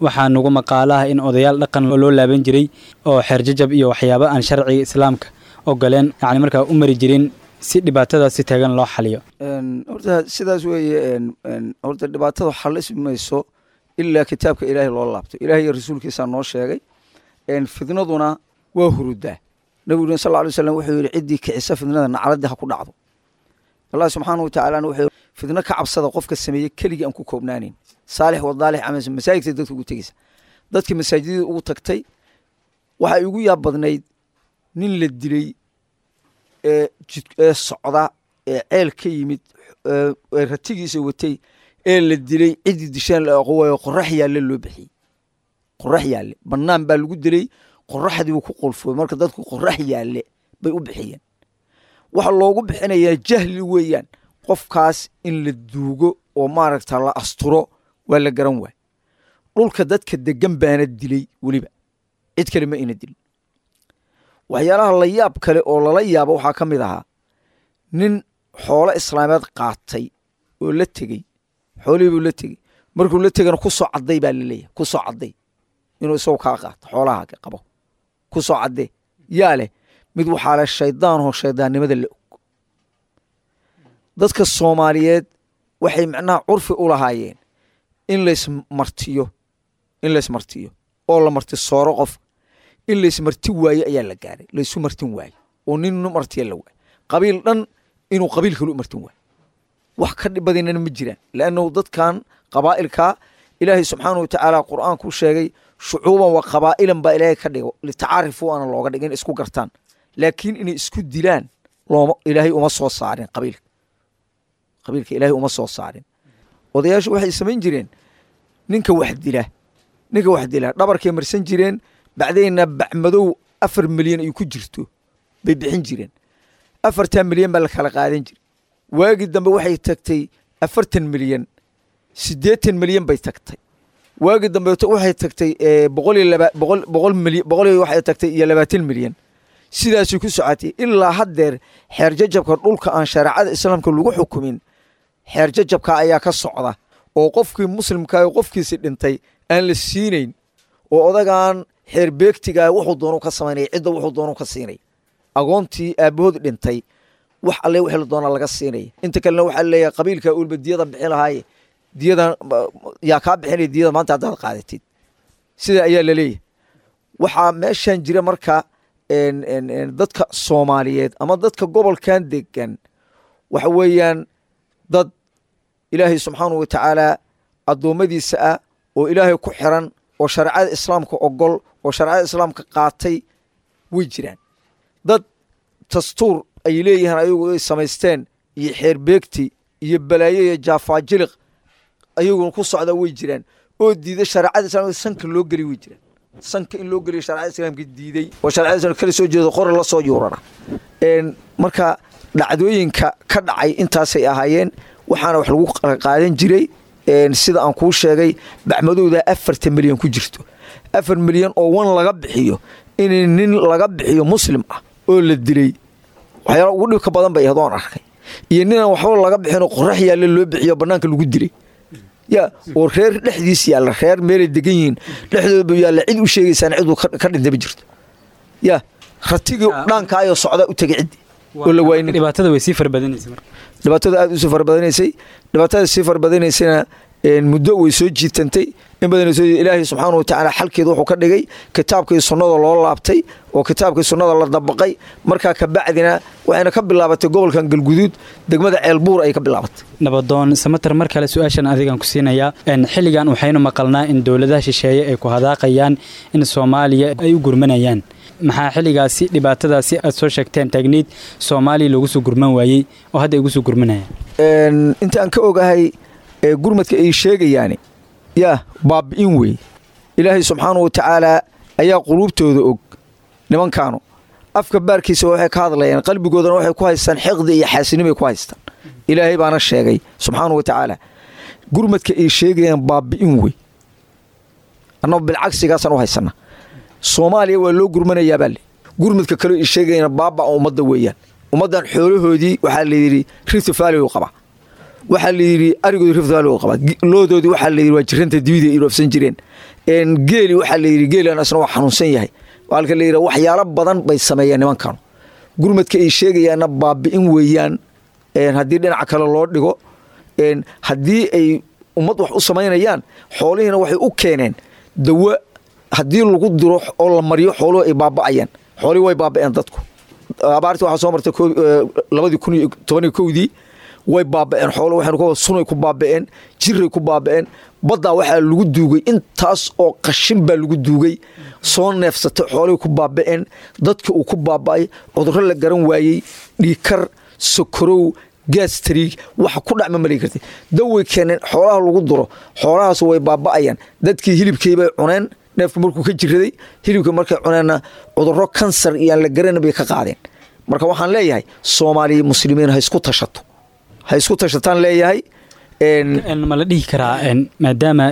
waxaa nagu maqaalaha in odayaal dhaqan loo laaban jiray oo xeer jajab iyo waxyaabo aan sharciga Islaamka ogoleen yacni markaa u mari jirin si dhibaatadaas si taagan loo xaliyo. Horta sidaas weeye. Horta dhibaatada xalismi mayso ilaa kitaabka Ilaahay loo laabto. Ilaahay iyo rasuulkiisaa noo sheegay. Fidnaduna waa hurudaa. Nabiguna sal alay slam wuxuu yidhi ciddii kicisa fidnada nacladii ha ku dhacdo. Allah subxaanahu watacaalana wuxuu fidno ka cabsada qofka sameeye keligii aan ku koobnaanin, saalix wa daalix ama masaajidka dadka ugu tegeysa. Dadka masaajidada ugu tagtay waxaa igu yaab badnayd nin la dilay ee jid ee socda ee ceel ka yimid ee ratigiisa watay ee la dilay, ciddii disheen la aqoon waayo. Qorax yaalle loo bixiyey, qorax yaalle bannaan baa lagu dilay, qoraxdii buu ku qolfooy. Marka dadku qorax yaalle bay u bixiyeen. Waxa loogu bixinayaa jahli weeyaan. Qofkaas in la duugo oo maaragta la asturo waa la garan waay. Dhulka dadka degan baana dilay, weliba cid kale ma ina dilin. Waxyaalaha la yaab kale oo lala yaabo waxaa ka mid ahaa nin xoolo islaameed qaatay oo la tegey. Xoolihii buu la tegey. Markuu la tegana ku soo cadday baa laleeyahay, ku soo cadday inuu isagu kaa qaato xoolaha qabo, ku soo caddee yaa leh. Mid waxaa leh shaydaanoo shaydaannimada la og. Dadka Soomaaliyeed waxay macnaha curfi u lahaayeen in laysmartiyo, in laysmartiyo oo la marti sooro. Qof in laysmarti waayo ayaa la gaaray, laysu martin waayo oo nin martiya la waayo, qabiil dhan inuu qabiil kale u martin waayo. Wax ka dhib badinana ma jiraan, lannahu dadkan qabaa'ilka Ilaahay subxaanahu watacaala Qur'aanku sheegay shucuuban wa qabaa'ilan baa Ilaahay ka dhigo, litacaarifu aana looga dhigin isku gartaan, laakiin inay isku dilaan looma Ilaahay uma soo saarin qabiilka. Qabiilka Ilaahay uma soo saarin. Odayaashu waxay samayn jireen ninka wax dila dhabarkay marsan jireen, bacdayna bacmadow 4 milyan ay ku jirto bay bixin jireen. 4-taa milyan baa la kala qaadan jiray. Waagii dambe waxay tagtay 40 milyan, 80 milyan bay tagtay. Waagii dambeeto waxay tagtay boqol iyo laba boqol 100 milyan, boqol iyo waxay tagtay iyo 20 milyan. Sidaasay ku socotay ilaa haddeer. Xeer jajabka dhulka aan shareecada Islaamka lagu xukumin xeer jajabka ayaa ka socda oo qofkii muslimka qofkiisi dhintay aan la siinayn oo odagaan xeer beegtigaa wuxuu doonu ka samaynaya, cidda wuxuu doonu ka siinay. Agoontii aabahood dhintay wax alle wixii la doonaa laga siinaya. Inta kalena waxaa leeyahay qabiilka ulba diyada bixin lahaaye, diyada yaa kaa bixinaya diyada maanta haddaad qaadatid, sida ayaa laleeyahay. Waxaa meeshan jira marka dadka Soomaaliyeed ama dadka gobolkan degan waxa weeyaan dad Ilaahay subxaanahu watacaala addoommadiisa ah oo Ilaahay ku xiran oo shareecada Islaamka ogol oo shareecada Islaamka qaatay way jiraan. Dad dastuur ay leeyihiin ayagu ay samaysteen iyo xeer beegti iyo balaayo iyo jaafaajiliq ayaguna ku socda way jiraan oo diiday shareecada Islaamka sanka loo geliy way jiraan, sanka in loo geliyo shareecada Islaamka diiday oo shareecada Islaamka kala soo jeedo, qori la soo yuurara. Marka dhacdooyinka ka dhacay intaasay ahaayeen. Waxaana wax lagu qaadan jiray sida aan kuu sheegay, bacmadowda 4-ta milyan ku jirto, 4 milyan oo wan laga bixiyo in nin laga bixiyo muslim ah oo la dilay. Waxyaala ugu dhibka badan bay ahayd oon arkay, iyo ninaan waxba laga bixinoo qorax yaalla loo bixiyo bannaanka lagu dilay, ya oo reer dhexdiis yaalla, reer meelay degan yihiin dhexdooda yaalla, cid u sheegaysaan ciduu ka dhintay ma jirto. Ya ratigii dhaankaayoo socdaa u tegay ciddi oo la waaynin. Dhibaatada way sii farabadanaysay marka. Dhibaatada aad u sii farabadanaysay, dhibaatada sii farabadanaysayna muddo way soo jiitantay in badan soo. Ilaahay subxaanahu watacaala xalkeeda wuxuu ka dhigay kitaabkii sunnada loo laabtay oo kitaabkii sunnada la dabaqay. Markaa ka bacdina waxayna ka bilaabatay gobolkan Galguduud, degmada Ceelbuur ay ka bilaabatay. Nabadoon Samater, mar kale su-aashan adigan ku siinayaa. Xilligan waxaynu maqalnaa in dowladaha shisheeye ay ku hadaaqayaan in Soomaaliya ay u gurmanayaan. Maxaa xilligaasi dhibaatadaasi aad soo sheegteen taagniid Soomaaliya loogu soo gurman waayey oo hadda ay ugu soo gurmanayaan? Inta aan ka ogahay, gurmadka ay sheegayaani yaa baabi'in wey. Ilaahay subxaanahu watacaala ayaa quluubtooda og. Nimankaanu afka baarkiisa waxay ka hadlayaan, qalbigoodana waxay ku haystaan xiqdi iyo xaasinimay ku haystaan. Ilaahay baana sheegay subxaanahu watacaala gurmadka ay sheegayaan baabi'in wey. Annagu bilcagsigaasaan u haysana. Soomaaliya waa loo gurmanayaa baa le. Gurmadka kaleo ay sheegayaan baaba ummadda weeyaan. Ummaddan xoolahoodii waxaa layidhi Rift Valley u qabaa, waxaa la yidhi arigoodi Rift Valley u qabaa, loodoodii waxaa la yidhi waa jiranta dibida ay dhoofsan jireen, geeli waxaa la yidhi geelan asna waa xanuunsan yahay. Halka la yidhi waxyaalo badan bay sameeyeen nimankanu. Gurmadka ay sheegayaanna baabi'in weeyaan. Haddii dhinaca kale loo dhigo, haddii ay ummad wax u samaynayaan, xoolihiina waxay u keeneen dawo haddii lagu diro oo la mariyo xooluhu ay baaba'ayaan. Xoolihii way baaba'een. Dadku abaartii waxaa soo martay 2011-dii, way baaba'een xoolo. Waxaynu ka sunay ku baaba'een, jiray ku baaba'een. Baddaa waxaa lagu duugay intaas oo qashin baa lagu duugay, soo neefsatay, xoolihii ku baaba'een, dadkii uu ku baaba'ay, cudurro la garan waayey, dhiikar, sokorow, gaastariig, waxa ku dhacma malay kartay. Daway keeneen xoolaha lagu duro, xoolahaas way baaba'ayaan. Dadkii hilibkii bay cuneen, neefku markuu ka jiraday hilibkii markay cuneenna cudurro kansar iyo aan la garanin bay ka qaadeen. Marka waxaan leeyahay Soomaaliya muslimiin ha isku tashato, ha isku tashataan leeyahay. Ma la dhihi karaa, maadaama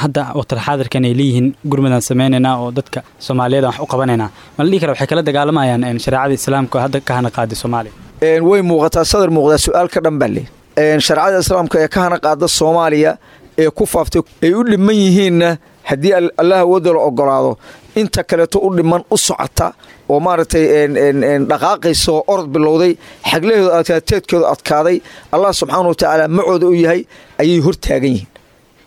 hadda waqtil xaadirkan ay leeyihiin gurmadaan sameynaynaa oo dadka Soomaaliyeed wax u qabanaynaa, ma la dhihi karaa waxay kala dagaalamayaan shareecada islaamka oo hadda ka hana qaaday Soomaaliya? Way muuqataa, sadar muuqdaa, su-aal ka dhan baa le. Shareecada islaamka ee ka hana qaada Soomaaliya ee ku faaftay ay u dhiman yihiinna, haddii Allah awoodda la ogolaado, inta kaleeto u dhiman u socota oo maaragtay dhaqaaqaysa oo orod bilowday, xaglahooda adkaaday, teedkooda adkaaday, Allah subxaana wa tacaala macooda u yahay ayay hortaagan yihiin,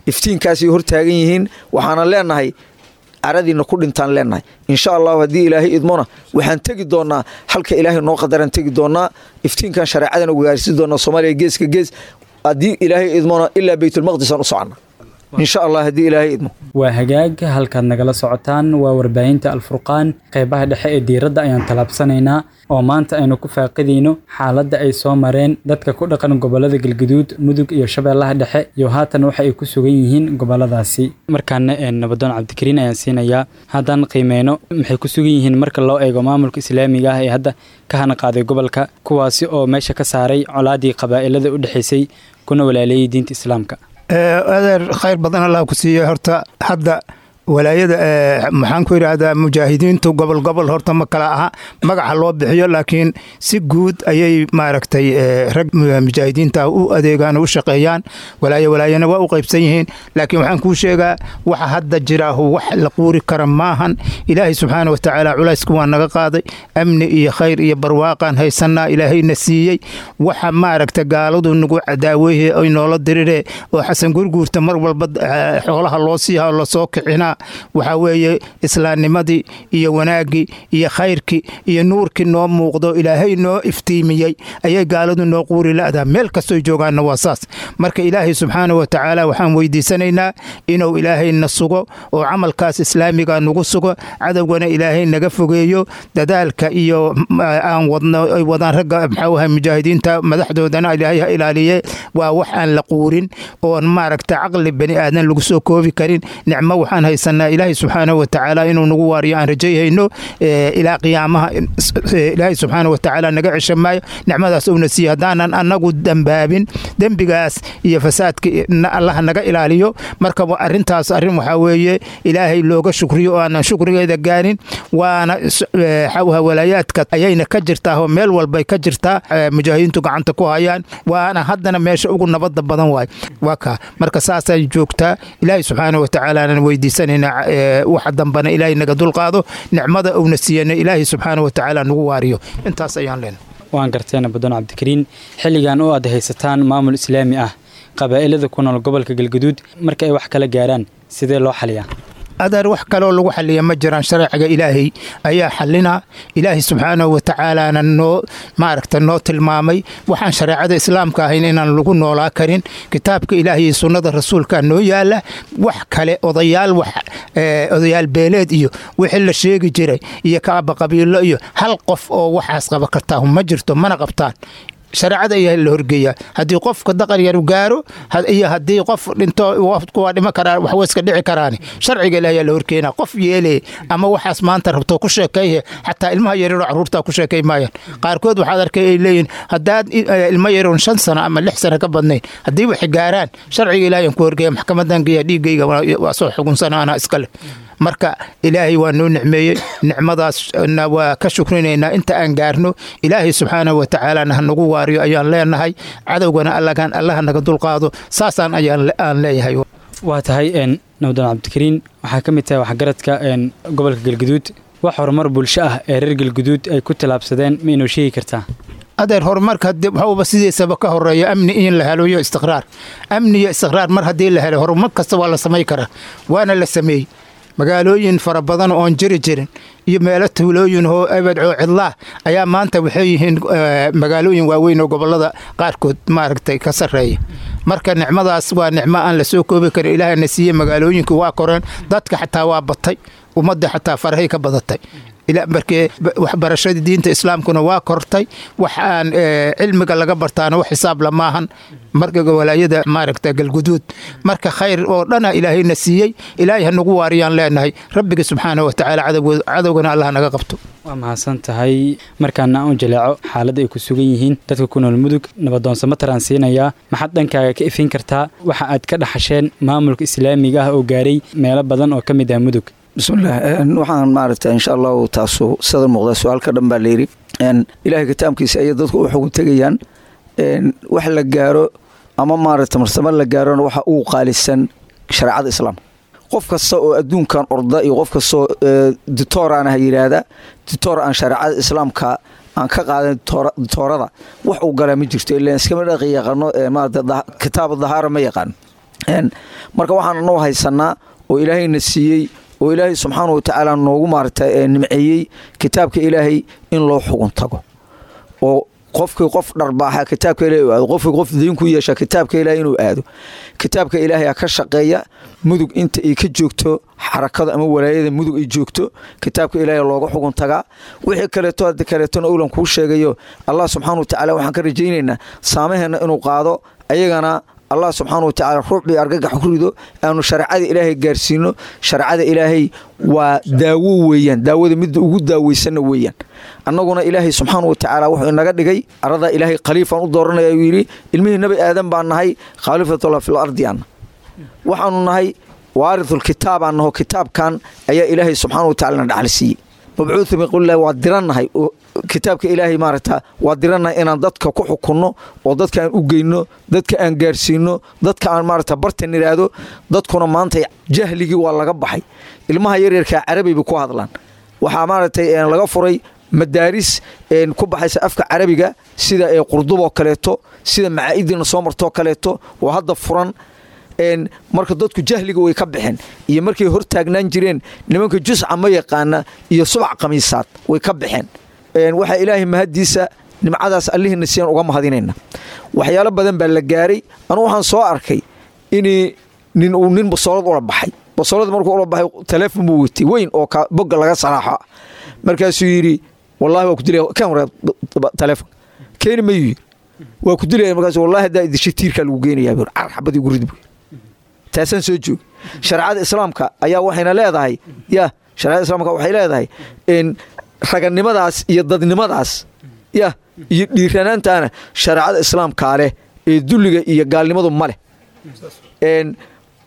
iftiinkaasay hortaagan yihiin. Waxaana leenahay caradiina ku dhintaan leenahay, insha Allahu. Haddii Ilaahay idmona waxaan tegi doonaa halka Ilaahay noo qadaraan tegi doonaa, iftiinkan shareecadana gaarsiin doonaa Soomaaliya geeska gees. Haddii Ilaahay idmona ilaa Baytulmaqdisaan u soconnaa, insha Allah, haddii Ilaahay idmo. Waa hagaag, halkaad nagala socotaan waa warbaahinta Alfurqaan. Qeybaha dhexe ee diiradda ayaan tallaabsanaynaa oo maanta aynu ku faaqidayno xaaladda ay soo mareen dadka ku dhaqan gobollada Galguduud, Mudug iyo Shabeellaha Dhexe, iyo haatan waxa ay ku sugan yihiin gobolladaasi. Markaana Nabadoon Cabdikariin ayaan siinayaa. Haddaan qiimeyno maxay ku sugan yihiin marka loo eego maamulka islaamiga ah ee hadda ka hana qaaday gobolka, kuwaasi oo meesha ka saaray colaadii qabaa'ilada u dhexaysay kuna walaaleeyey diinta islaamka? Adeer, khayr badan Allah ku siiye. Horta hadda walaayada, maxaan ku yidhaahdaa, mujaahidiintu gobol gobol horta ma kala aha magaca loo bixiyo, laakiin si guud ayay maaragtay rag mujaahidiinta u adeegaan oo u shaqeeyaan. Walaayo walaayana waa u qaybsan yihiin, laakiin waxaan kuu sheegaa waxa hadda jiraahu wax la quuri kara maahan. Ilaahay subxaana wa tacaala culaysku waa naga qaaday, amni iyo khayr iyo barwaaqaan haysanaa Ilaahayna siiyey. Waxa maaragta gaaladu nagu cadaaweeye ay noola diriree oo Xasan Gurguurta mar walba xoolaha loo siiha lasoo kicinaa, waxaa weeye islaamnimadii iyo wanaaggii iyo khayrkii iyo nuurkii noo muuqdo Ilaahay noo iftiimiyey ayay gaaladu noo quuri la'daa. Meel kastoy joogaanna waa saas. Marka Ilaahay subxaana wa tacaala waxaan weydiisanaynaa inuu Ilaahay na sugo oo camalkaas islaamiga nagu sugo, cadowgana Ilaahay naga fogeeyo. Dadaalka iyo aan wadno ay wadaan ragga, maxaa ahay, mujaahidiinta madaxdoodana Ilaahay ha ilaaliye. Waa wax aan la quurin oon maaragta caqli bani aadan lagu soo koobi karin. Nicmo waxaan haysan haysanaa Ilaahay subxaanahu watacaala inuu nagu waariyo aan rajayhayno ilaa qiyaamaha. Ilaahay subxaanahu watacaala naga cesha maayo nicmadaas uuna siiyo haddaanan annagu dambaabin. Dembigaas iyo fasaadka Allaha naga ilaaliyo. Marka arrintaas arrin waxaa weeye Ilaahay looga shukriyo oo aanan shukrigeeda gaarin. Waana xawha walaayaadka ayayna ka jirtaa oo meel walbay ka jirtaa, mujaahidiintu gacanta ku hayaan, waana haddana meesha ugu nabadda badan waay. Waa kaa marka saasay joogtaa. Ilaahay subxaanahu watacaalaanan weydiisanaynaa waxa dambana Ilaahay naga dulqaado, nicmada uuna siiyana Ilaahay subxaanahu watacaala nagu waariyo. Intaas ayaan leenahay. Waan garteena Badoon Cabdikariin, xilligan oo aad haysataan maamul islaami ah, qabaa'ilada ku nool gobolka Galgaduud marka ay wax kala gaaraan sidee loo xaliyaa? Adeer, wax kaloo lagu xaliya ma jiraan. Shareeciga Ilaahay ayaa xalina. Ilaahay subxaanahu watacaalana noo maaragta noo tilmaamay waxaan shareecada islaamka ahayn inaan lagu noolaa karin. Kitaabka Ilaahay iyo sunnada rasuulka noo yaala. Wax kale odayaal, wax odayaal beeleed iyo wixii la sheegi jiray iyo kaaba qabiilo iyo hal qof oo waxaas qaba kartaa ma jirto, mana qabtaan. Shareecada ayaa la horgeeyaa haddii qofka daqar yar gaaro iyo haddii qof dhinto waa dhima karaa, wax way iska dhici karaan. Sharciga Ilaahay ayaa la horkeenaa. Qof yeelay ama waxaas maanta rabto ku sheekeeye, xataa ilmaha yaryaroo carruurta ku sheekay maayaan. Qaarkood waxaad arkay ay leeyihin haddaad ilmo yaroon 5 sano ama 6 sano ka badnayn haddii wax gaaraan, sharciga Ilaahay aan ku horgeeya, maxkamadan geeya, dhiiggayga waa soo xugunsana, anaa iskale. Marka Ilaahay waa noo nicmeeyey, nicmadaasna waa ka shukrinaynaa inta aan gaarno. Ilaahay subxaanahu watacaalana ha nagu waariyo ayaan leenahay, cadowgana Allahan Allaha naga dulqaado, saasaan ayaan aan leeyahay. Waa tahay Nabdoon Cabdikariin, waxaa ka mid tahay waxgaradka gobolka Galguduud. Wax horumar bulsho ah ee reer Galguduud ay ku tallaabsadeen ma inoo sheegi kartaa? Adeer, horumarka waxuuba sidiisaba ka horeeya amni in la helo iyo istiqraar. Amni iyo istiqraar mar haddii la helo, horumar kasta waa la samay karaa, waana la sameeyey. Magaalooyin fara badan oon jiri jirin iyo meelo tuulooyin oo ebed oo cidlaah ayaa maanta waxay yihiin magaalooyin waaweyn oo gobollada qaarkood maaragtay ka sarreeya. Marka nicmadaas waa nicmo aan la soo koobi karin Ilaahana siiyey. Magaalooyinku waa koreen, dadka xataa waa batay, ummadda xataa farahay ka badatay. Markee waxbarashadii diinta islaamkuna waa kortay, wax aan cilmiga laga bartaana wax xisaab lamaahan marka walaayada maaragta Galguduud. Marka khayr oo dhana Ilaahayna siiyey, Ilaahay ha nagu waariyaan leenahay rabbiga subxaanahu watacaala, cadowgana Allah naga qabto. Waa mahadsan tahay. Markaana aan u jaleeco xaaladda ay ku sugan yihiin dadka ku nool Mudug, nabadoonsamo taraan siinayaa. Maxaad dhankaaga ka ifin kartaa waxa aad ka dhaxasheen maamulka islaamiga ah oo gaaray meelo badan oo ka mid ah Mudug? Bismillaah, waxaan maaragta insha Allahu taasu sada muuqda su-aalka dhan baa layidhi. Ilaahay kitaabkiisa ayay dadku u xugun tegayaan. Wax la gaaro ama maaragta marsamo la gaarona waxa ugu qaalisan shareecada islaamka. Qof kasta oo adduunkan orda iyo qof kastoo ditooraan ha yidhaahda, ditoor aan shareecada islaamka aan ka qaadan ditoorada wax uu galaa ma jirto, ilaan iskama dhaqi yaqaano, maarata kitaab dahaara ma yaqaano. Marka waxaan noo haysanaa oo Ilaahayna siiyey oo Ilaahay subxaana wa tacaala noogu maarata nimceeyey kitaabka Ilaahay in loo xugun tago, oo qofkii qof dharbaaxa kitaabka Ilahay uu aado, qofkii qof diin ku yeesha kitaabka Ilaahay inuu aado. Kitaabka Ilaahay ka shaqeeya Mudug inta ay ka joogto xarakada ama walaayada Mudug ay joogto, kitaabka Ilaahay looga xugun tagaa. Wixii kaleeto hadda kaleetona owlan kuu sheegayo, Allah subxaana wa tacaala waxaan ka rajaynaynaa saamaheena inuu qaado, ayagana Allah subxaana wa tacaala ruuxbii argagax ku rido, aanu shareecada Ilaahay gaarsiino. Shareecada Ilaahay waa daawo weeyaan, daawada midda ugu daaweysanna weeyaan. Annaguna Ilaahay subxaana wa tacaala wuxuu inaga dhigay arada Ilaahay khaliifaan u dooranaya uu yidhi. Ilmihii Nabi Aadan baan nahay, khaliifatullah fil ardi aan waxaanu nahay, waarithul kitaabaan naho. Kitaabkan ayaa Ilaahay subxaana wa tacala na dhaxal siiyey. Mabcuuthu min qowlillahi waa dirannahay oo kitaabka Ilaahay maaragta waa dirannahay inaan dadka ku xukunno oo dadka aan u geyno, dadka aan gaarsiino, dadka aan maaragta bartan idhaahdo. Dadkuna maanta jahligii waa laga baxay, ilmaha yaryarkaa carabi bay ku hadlaan. Waxaa maaragtay laga furay madaaris ku baxaysa afka carabiga, sida Qurduboo kaleeto, sida macaa'idina soo martoo kaleeto oo hadda furan. Marka dadku jahliga way ka baxeen iyo markay hor taagnaan jireen nimanka jusca ma yaqaana iyo subac khamiisaad way ka baxeen. Waxaa Ilaahay mahadiisa nimcadaas Allihiina siiyaan uga mahadinayna. Waxyaalo badan baa la gaaray. Anugu waxaan soo arkay in nin uu nin basoolad ula baxay. Basoolad markuu ula baxay taleefon buu watay weyn oo bogga laga salaaxo. Markaasuu yidhi, "Wallahi waa ku dilaya, kan waraa taleefon keeni mayuu yidhi, waa ku dilaya." Markaas, "Wallahi haddaa idishay tiirkaa lagu geynayaa," buu, "car xabadii ugu rid," buu. Taasaan soo joog. Shareecada islaamka ayaa waxayna leedahay, ya, shareecada islaamka waxay leedahay in raganimadaas iyo dadnimadaas, ya, iyo dhiiranaantaana shareecada islaamkaa leh ee dulliga iyo gaalnimadu ma leh.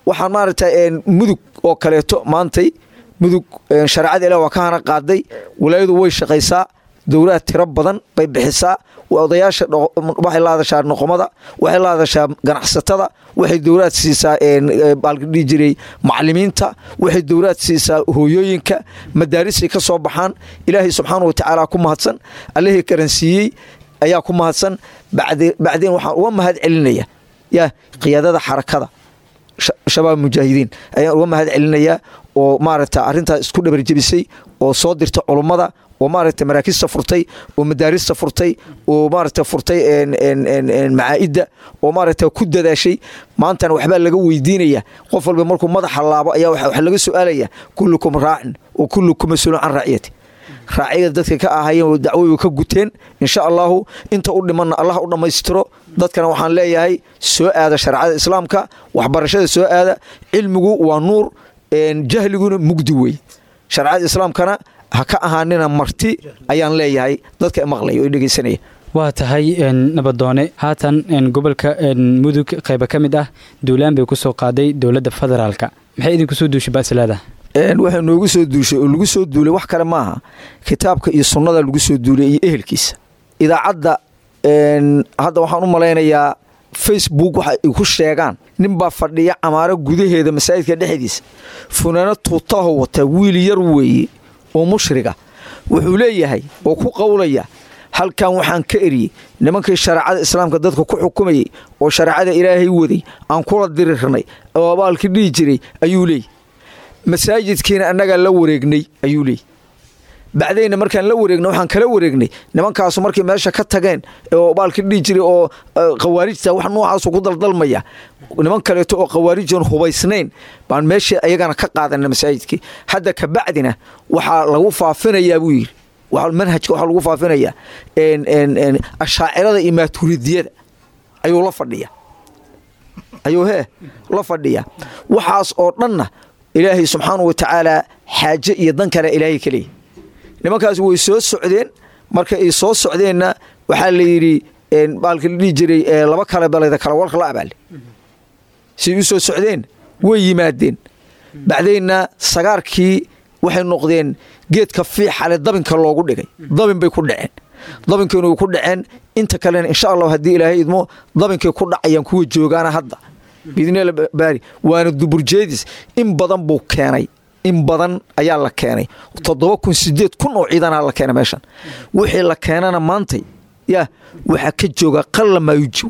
Waxaan maaragtay Mudug oo kaleeto maantay Mudug shareecada Ilaah waa ka hana qaaday. Walaayadu way shaqaysaa, dowlaha tiro badan bay bixisaa. Odayaasha waxay la hadashaa, noqomada waxay la hadashaa, ganacsatada waxay dowlaad siisaa, baalka dhihi jiray macalimiinta waxay dowlaad siisaa, hooyooyinka madaarisay ka soo baxaan. Ilaahay subxaana wa tacaala ku mahadsan, Allihii karansiiyey ayaa ku mahadsan. Bacdeen waxaan uga mahad celinaya, ya, qiyaadada Xarakada Shabaab Mujaahidiin ayaan uga mahad celinayaa oo maaragta arrintaas isku dhabarjebisay oo soo dirta culummada oo maaragta maraakista furtay oo madaarista furtay oo maaragta furtay macaa'idda oo maaragta ku dadaashay. Maantana waxbaa laga weydiinaya. Qof walba markuu madaxa laabo ayaa waxa laga su'aalaya: kullukum raacin wa kullukum mas-uulun can raaciyati. Raaciyada dadka ka ahaayeen dacwoy ka guteen. Insha Allahu inta u dhimanna Allah u dhammaystiro. Dadkana waxaan leeyahay, soo aada shareecada islaamka, waxbarashada soo aada. Cilmigu waa nuur, jahliguna mugdi wey. Shareecada islaamkana ha ka ahaanina marti ayaan leeyahay dadka maqlaya oo dhegeysanaya. Waa tahay, nabadoone. Haatan gobolka Mudug qayba ka mid ah duulaan bay ku soo qaaday dowladda federaalka. Maxay idinku soo duushay baas leedahay? Waxay noogu soo duushay oo lagu soo duulay wax kale maaha, kitaabka iyo sunnada lagu soo duulay iyo ehelkiisa. Idaacadda hadda waxaan u malaynayaa Facebook waxa ay ku sheegaan, ninbaa fadhiya Camaaro gudaheeda masaajidka dhexdiisa, funaano tuutaho wata, wiil yar weeye oo mushriga. Wuxuu leeyahay oo ku qowlaya: "Halkan waxaan ka eriyey nimankii shareecada islaamka dadka ku xukumayey oo shareecada Ilaahay waday aan kula dirirnay oo abaalkii dhihi jiray," ayuu leeyay. "Masaajidkiina annagaa la wareegnay," ayuu leeyay. "Bacdayna markaan la wareegnay, waxaan kala wareegnay nimankaasu markay meesha ka tageen oo baalkii dhihi jiray oo khawaarijta." Wax noocaasu ku daldalmaya. "Niman kaleeto oo khawaarijoon hubaysnayn baan meeshii ayagana ka qaadanay masaajidkii. Hadda ka bacdina waxaa lagu faafinayaa," buu yidhi, "manhajka waxaa lagu faafinayaa Ashaacirada iyo Maaturidiyada." Ayuu la fadhiya, ayuu hee la fadhiya. Waxaas oo dhanna Ilaahay subxaanahu wa tacaala xaaje iyo dan kale Ilaahay ka leeyahy. Nimankaas way soo socdeen. Marka ay soo socdeenna waxaa la yidhi baalka la dhihi jiray laba kale balayda kala warka la abaale. Siay u soo socdeen way yimaadeen. Bacdeenna sagaarkii waxay noqdeen geedka fiixale dabinka loogu dhigay. Dabin bay ku dhaceen, dabinkiina way ku dhaceen. Inta kalena insha Allah haddii Ilaahay idmo dabinkay ku dhacayaan kuwa joogaana hadda biidnila baari. Waana duburjeedis. In badan buu keenay, in badan ayaa la keenay. 7,000, 8,000 oo ciidanaa la keenay meeshan. Wixii la keenana maantay, ya, waxaa ka jooga qalla maayuji,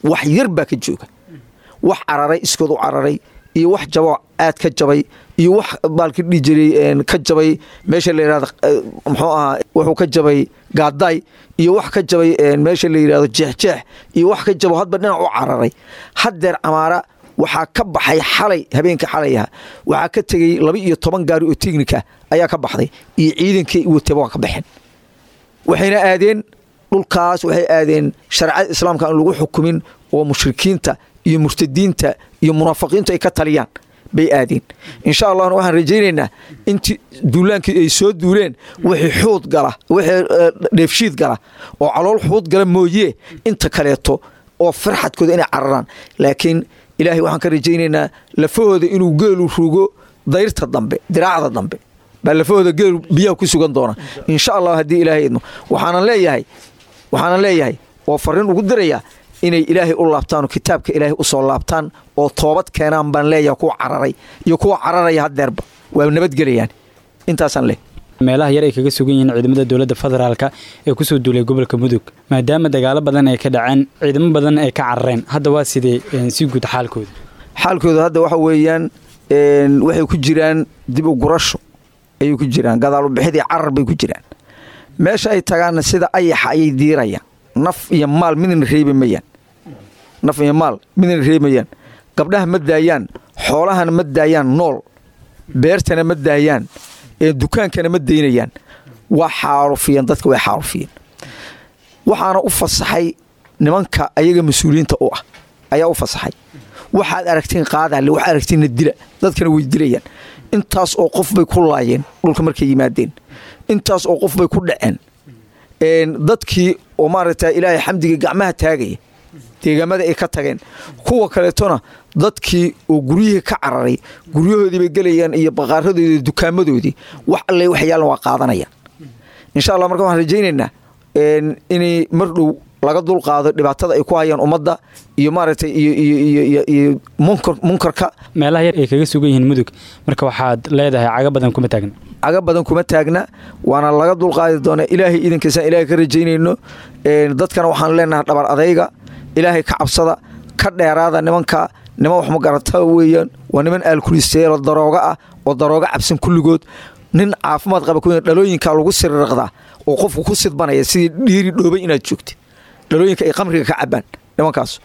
wax yar baa ka jooga. Wax cararay, iskood u cararay, iyo wax jabo aad ka jabay, iyo wax baalki dhihi jiray ka jabay meesha la yidhahdo muxuu ahaa, wuxuu ka jabay Gaadaay, iyo wax ka jabay meesha la yidhahdo Jeexjeex, iyo wax ka jabo hadba dhinac u cararay. Haddeer Camaara waxaa ka baxay xalay, habeenka xalay aha, waxaa ka tegey 12 gaari oo teknika ayaa ka baxday iyo ciidankii wataba waa ka baxeen. Waxayna aadeen dhulkaas, waxay aadeen shareecada islaamka aan lagu xukumin oo mushrikiinta iyo murtadiinta iyo munaafiqiintu ay ka taliyaan bay aadeen. Insha Allahna waxaan rajaynaynaa intii duulaankii ay soo duuleen wixii xuud gala, wixii dheefshiid gala oo calool xuud gala mooye, inta kaleeto oo farxadkooda inay cararaan. Laakiin Ilaahay waxaan ka rajaynaynaa lafahooda inuu geelu rugo dayrta dambe, diraacda dambe baa lafahooda geelu biyaha ku sugan doona insha Allah haddii Ilaahay idmo. Waxaanan leeyahay oo fariin ugu dirayaa inay Ilaahay u laabtaan oo kitaabka Ilaahay u soo laabtaan oo toobad keenaan baan leeyahay. Kuwa cararay iyo kuwa cararaya haddeerba waa nabadgelayaan. Intaasaan leh. Meelaha yar ay kaga sugan yihiin ciidamada dowladda federaalka ee kusoo duulay gobolka Mudug, maadaama dagaalo badan ay ka dhaceen, ciidamo badan ay ka carareen, hadda waa sidee si guud xaalkooda? Xaalkooda hadda waxa weeyaan waxay ku jiraan dib u gurasho ayay ku jiraan, gadaal u bixidii carar bay ku jiraan. Meesha ay tagaanna sida ayaxa ayay diirayaan. Naf iyo maal midna reebi mayaan, naf iyo maal midna reebi mayaan. Gabdhaha ma daayaan, xoolahana ma daayaan nool, beertana ma daayaan, ee dukaankana ma daynayaan. Waa xaarufiyeen dadka, way xaarufiyeen. Waxaana u fasaxay nimanka ayaga mas-uuliyiinta u ah ayaa u fasaxay. Waxaad aragtiin qaadaale, waxaad aragtiinna dila. Dadkana way dilayaan. Intaas oo qof bay ku laayeen dhulka markay yimaadeen, intaas oo qof bay ku dhaceen. Dadkii oo maaragta Ilaahay xamdiga gacmaha taagaya deegaamada ay ka tageen, kuwa kaleetona dadkii oo guryihii ka cararay guryahoodii bay gelayaan iyo baqaaradoodii, dukaamadoodii, wax alle wax yaalan waa qaadanayaan, insha Allah. Marka waxaan rajaynaynaa inay mar dhow laga dul qaado dhibaatada ay ku hayaan ummadda iyo maaragtay iyo munkarka. Meelaha yar ay kaga sugan yihiin Mudug, marka waxaad leedahay caga badan kuma taagna? Caga badan kuma taagna, waana laga dulqaadi doonaa Ilaahay idankiisaan Ilaahay ka rajaynayno. Dadkana waxaan leenahay dhabar adayga, Ilaahay ka cabsada, ka dheeraada nimanka. Niman wax ma garata weeyaan, waa niman aalkulisteelo darooga ah oo darooga cabsan kulligood. Nin caafimaad qaba ku dhalooyinka lagu sirriqdaa oo qofku ku sidbanaya sidii dhiiri dhoobay inaad joogtid. Dhalooyinka ay qamriga ka cabaan nimankaas,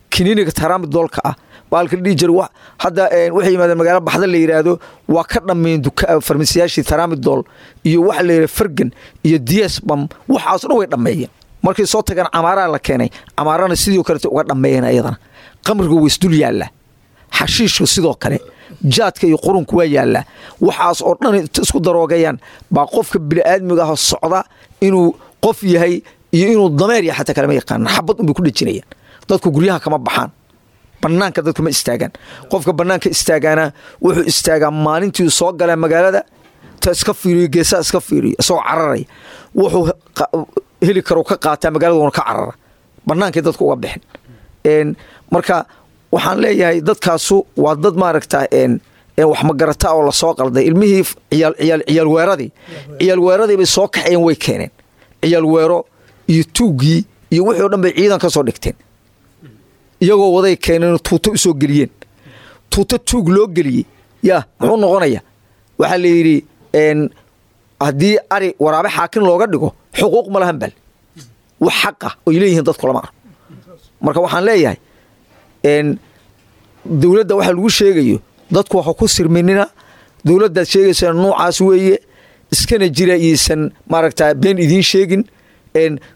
kiniiniga taraamidoolka ah, baalka dhihi jira. Hadda waxay yimaadeen magaalo Baxda la yidhaahdo, waa ka dhammeeyeen farmasiyaashii taraamidool iyo waxa la yidhahdo Fargan iyo Diesbam, waxaas dhan way dhammeeyeen. Markay soo tageen Camaaraa la keenay, Camaarana sidoo kalete uga dhammeeyeen ayadana. Qamriga way isdul yaallaa, xashiishku sidoo kale, jaadka iyo qurunku waa yaallaa. Waxaas oo dhan isku daroogayaan baa qofka bini'aadmiga ah socda inuu qof yahay iyo inuu dameer yahay xataa kalama yaqaanan. Xabad unbay ku dhejinayaan. Dadku guryaha kama baxaan, bannaanka dadku ma istaagaan. Qofka bannaanka istaagaana wuxuu istaagaa maalintii soo galaa magaalada, ta iska fiiriyo, geesaha iska fiiriyo isagoo cararaya, wuxuu heli karo ka qaataa magaalada, uuna ka carara, bannaankay dadku uga bixin. Marka waxaan leeyahay dadkaasu waa dad maaragta wax magarata oo lasoo qalday. Ilmihii ciyaal weeradii, ciyaal weeradii bay soo kaxayeen, way keeneen ciyaal weero iyo tuuggii iyo wixii o dhan bay ciidan ka soo dhigteen. Iyagoo waday keeneen, tuuto u soo geliyeen. Tuuto tuug loo geliyey yaa muxuu noqonaya? Waxaa la yidhi haddii ari waraabe xaakin looga dhigo xuquuq ma lahan, bal wax xaqa oy leeyihiin dadku lama arko. Marka waxaan leeyahay dowladda waxa lagu sheegayo dadku waxa ku sirminina. Dowladdaad sheegaysaa nuucaas weeye, iskana jira, iisan maaragta been idiin sheegin.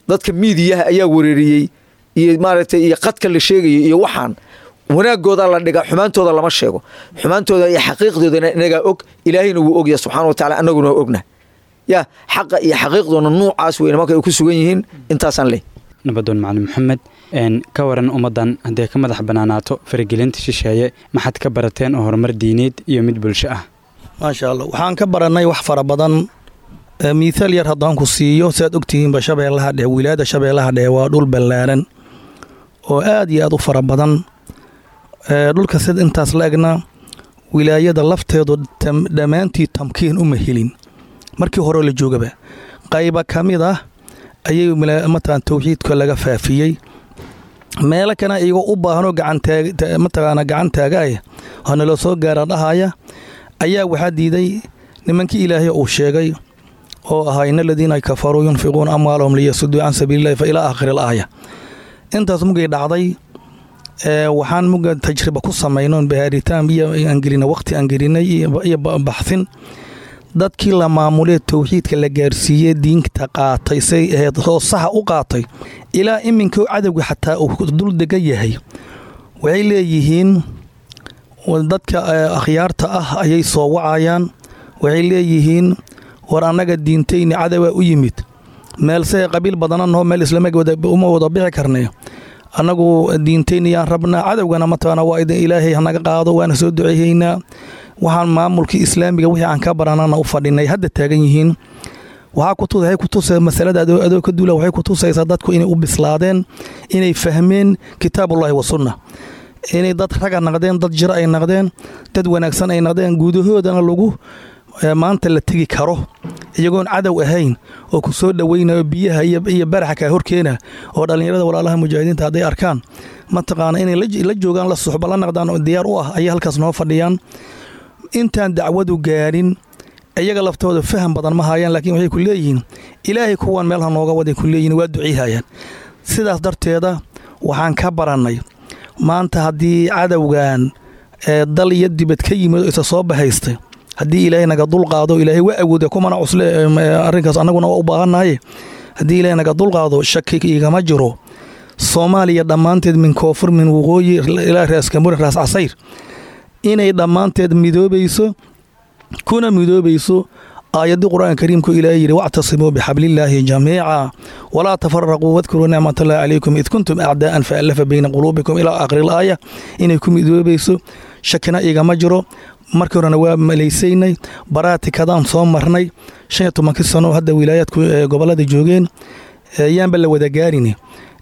Dadka miidiyaha ayaa wareeriyey iyo maaragtay iyo qadka la sheegayo iyo waxaan wanaagooda la dhiga, xumaantooda lama sheego. Xumaantooda iyo xaqiiqdoodana inagaa og, Ilaahayna wuu ogyahay subxaana wa tacaala, annaguna waa ognahay ya xaqa iyo xaqiiqdoona nuucaas wey nimanka ay ku sugan yihiin. Intaasaan leh. Nabadoon Macalin Maxamed, ka waran ummaddan hadday ka madax bannaanaato faragelinta shisheeye, maxaad ka barateen oo horumar diineed iyo mid bulsho ah? Maasha Allah, waxaan ka barannay wax fara badan. Miithaal yar haddaan ku siiyo, siaad ogtihiinba Shabeellaha Dhexe, wilaayadda Shabeellaha Dhexe waa dhul ballaaran oo aad iyo aad u fara badan. Dhulka sida intaas la egna wilaayada lafteedu dhammaantii tamkiin uma helin. Markii hore la joogaba qayba ka mid ah ayay mataqaan tawxiidka laga faafiyey, meelo kana iyagoo u baahanoo gacanmataqaana gacan taagaaya oo naloo soo gaara dhahaya ayaa waxaa diiday nimankii Ilaahay uu sheegay oo ahaa "in aladiina kafaruu yunfiquuna amwaalahum liyasuduu can sabiilillahi" fa ilaa aakhiri al aaya. Intaas mugay dhacday, waxaan muga tajriba ku samayno, baaritaan iyo aan gelina, waqti aan gelinay iyo baxsin, dadkii la maamulee tawxiidka la gaarsiiyey, diinta qaatay, say ahayd oo saxa u qaatay, ilaa iminka cadowga xataa uu dul degan yahay, waxay leeyihiin dadka akhyaarta ah ayay soo wacayaan. Waxay leeyihiin, "War annaga diintayni cadowaa u yimid, meelse qabiil badananoo meel islama uma wada bixi karnay. Annagu diintayni yaan rabnaa, cadowgana mataqaana waa idin Ilaahay hanaga qaado, waana soo duceeyeynaa. Waxaan maamulkii islaamiga wixii aan ka baranana u fadhinay hadda taagan yihiin." Waxay ku tusay masalada adoo ka duula, waxay ku tusaysaa dadku inay u bislaadeen, inay fahmeen kitaabullaahi wa sunna, inay dad raga naqdeen, dad jiro ay naqdeen, dad wanaagsan ay naqdeen, guudahoodana lagu maanta la tegi karo iyagoon cadow ahayn oo ku soo dhoweynayo, biyaha iyo baraxa kaa horkeena, oo dhallinyarada walaalaha mujaahidiinta hadday arkaan mataqaana inay la joogaan, la suxba la naqdaan oo diyaar u ah ayay halkaas noo fadhiyaan. Intaan dacwadu gaarin iyaga laftooda faham badan ma hayaan, laakiin waxay ku leeyihiin, "Ilaahay kuwan meel ha nooga waday" ku leeyihin, waa duciihayaan. Sidaas darteeda waxaan ka barannay maanta haddii cadowgan ee dal iyo dibad ka yimid oo isa soo bahaystay, haddii Ilaahay naga dul qaado, Ilaahay waa awooda kumana cusle arrinkaas, annaguna waa u baahannahay, haddii Ilaahay naga dul qaado, shaki igama jiro. Soomaaliya dhammaanteed min koonfur min waqooyi ilaa Raas Kambuuri, Raas Casayr, inay dhammaanteed midoobayso, kuna midoobayso aayadii Qur-aanka Kariimku Ilaahay yidhi: "واعتصموا بحبل الله جميعا ولا تفرقوا واذكروا نعمة الله عليكم إذ كنتم أعداء فألف بين قلوبكم إلى آخر الآية. Inay ku midoobayso shakina igama jiro. Markii horena waa malaysaynay, baraatikadaan soo marnay 15-kii sano hadda wilaayaadku gobolada joogeen, yaanba la wada gaarin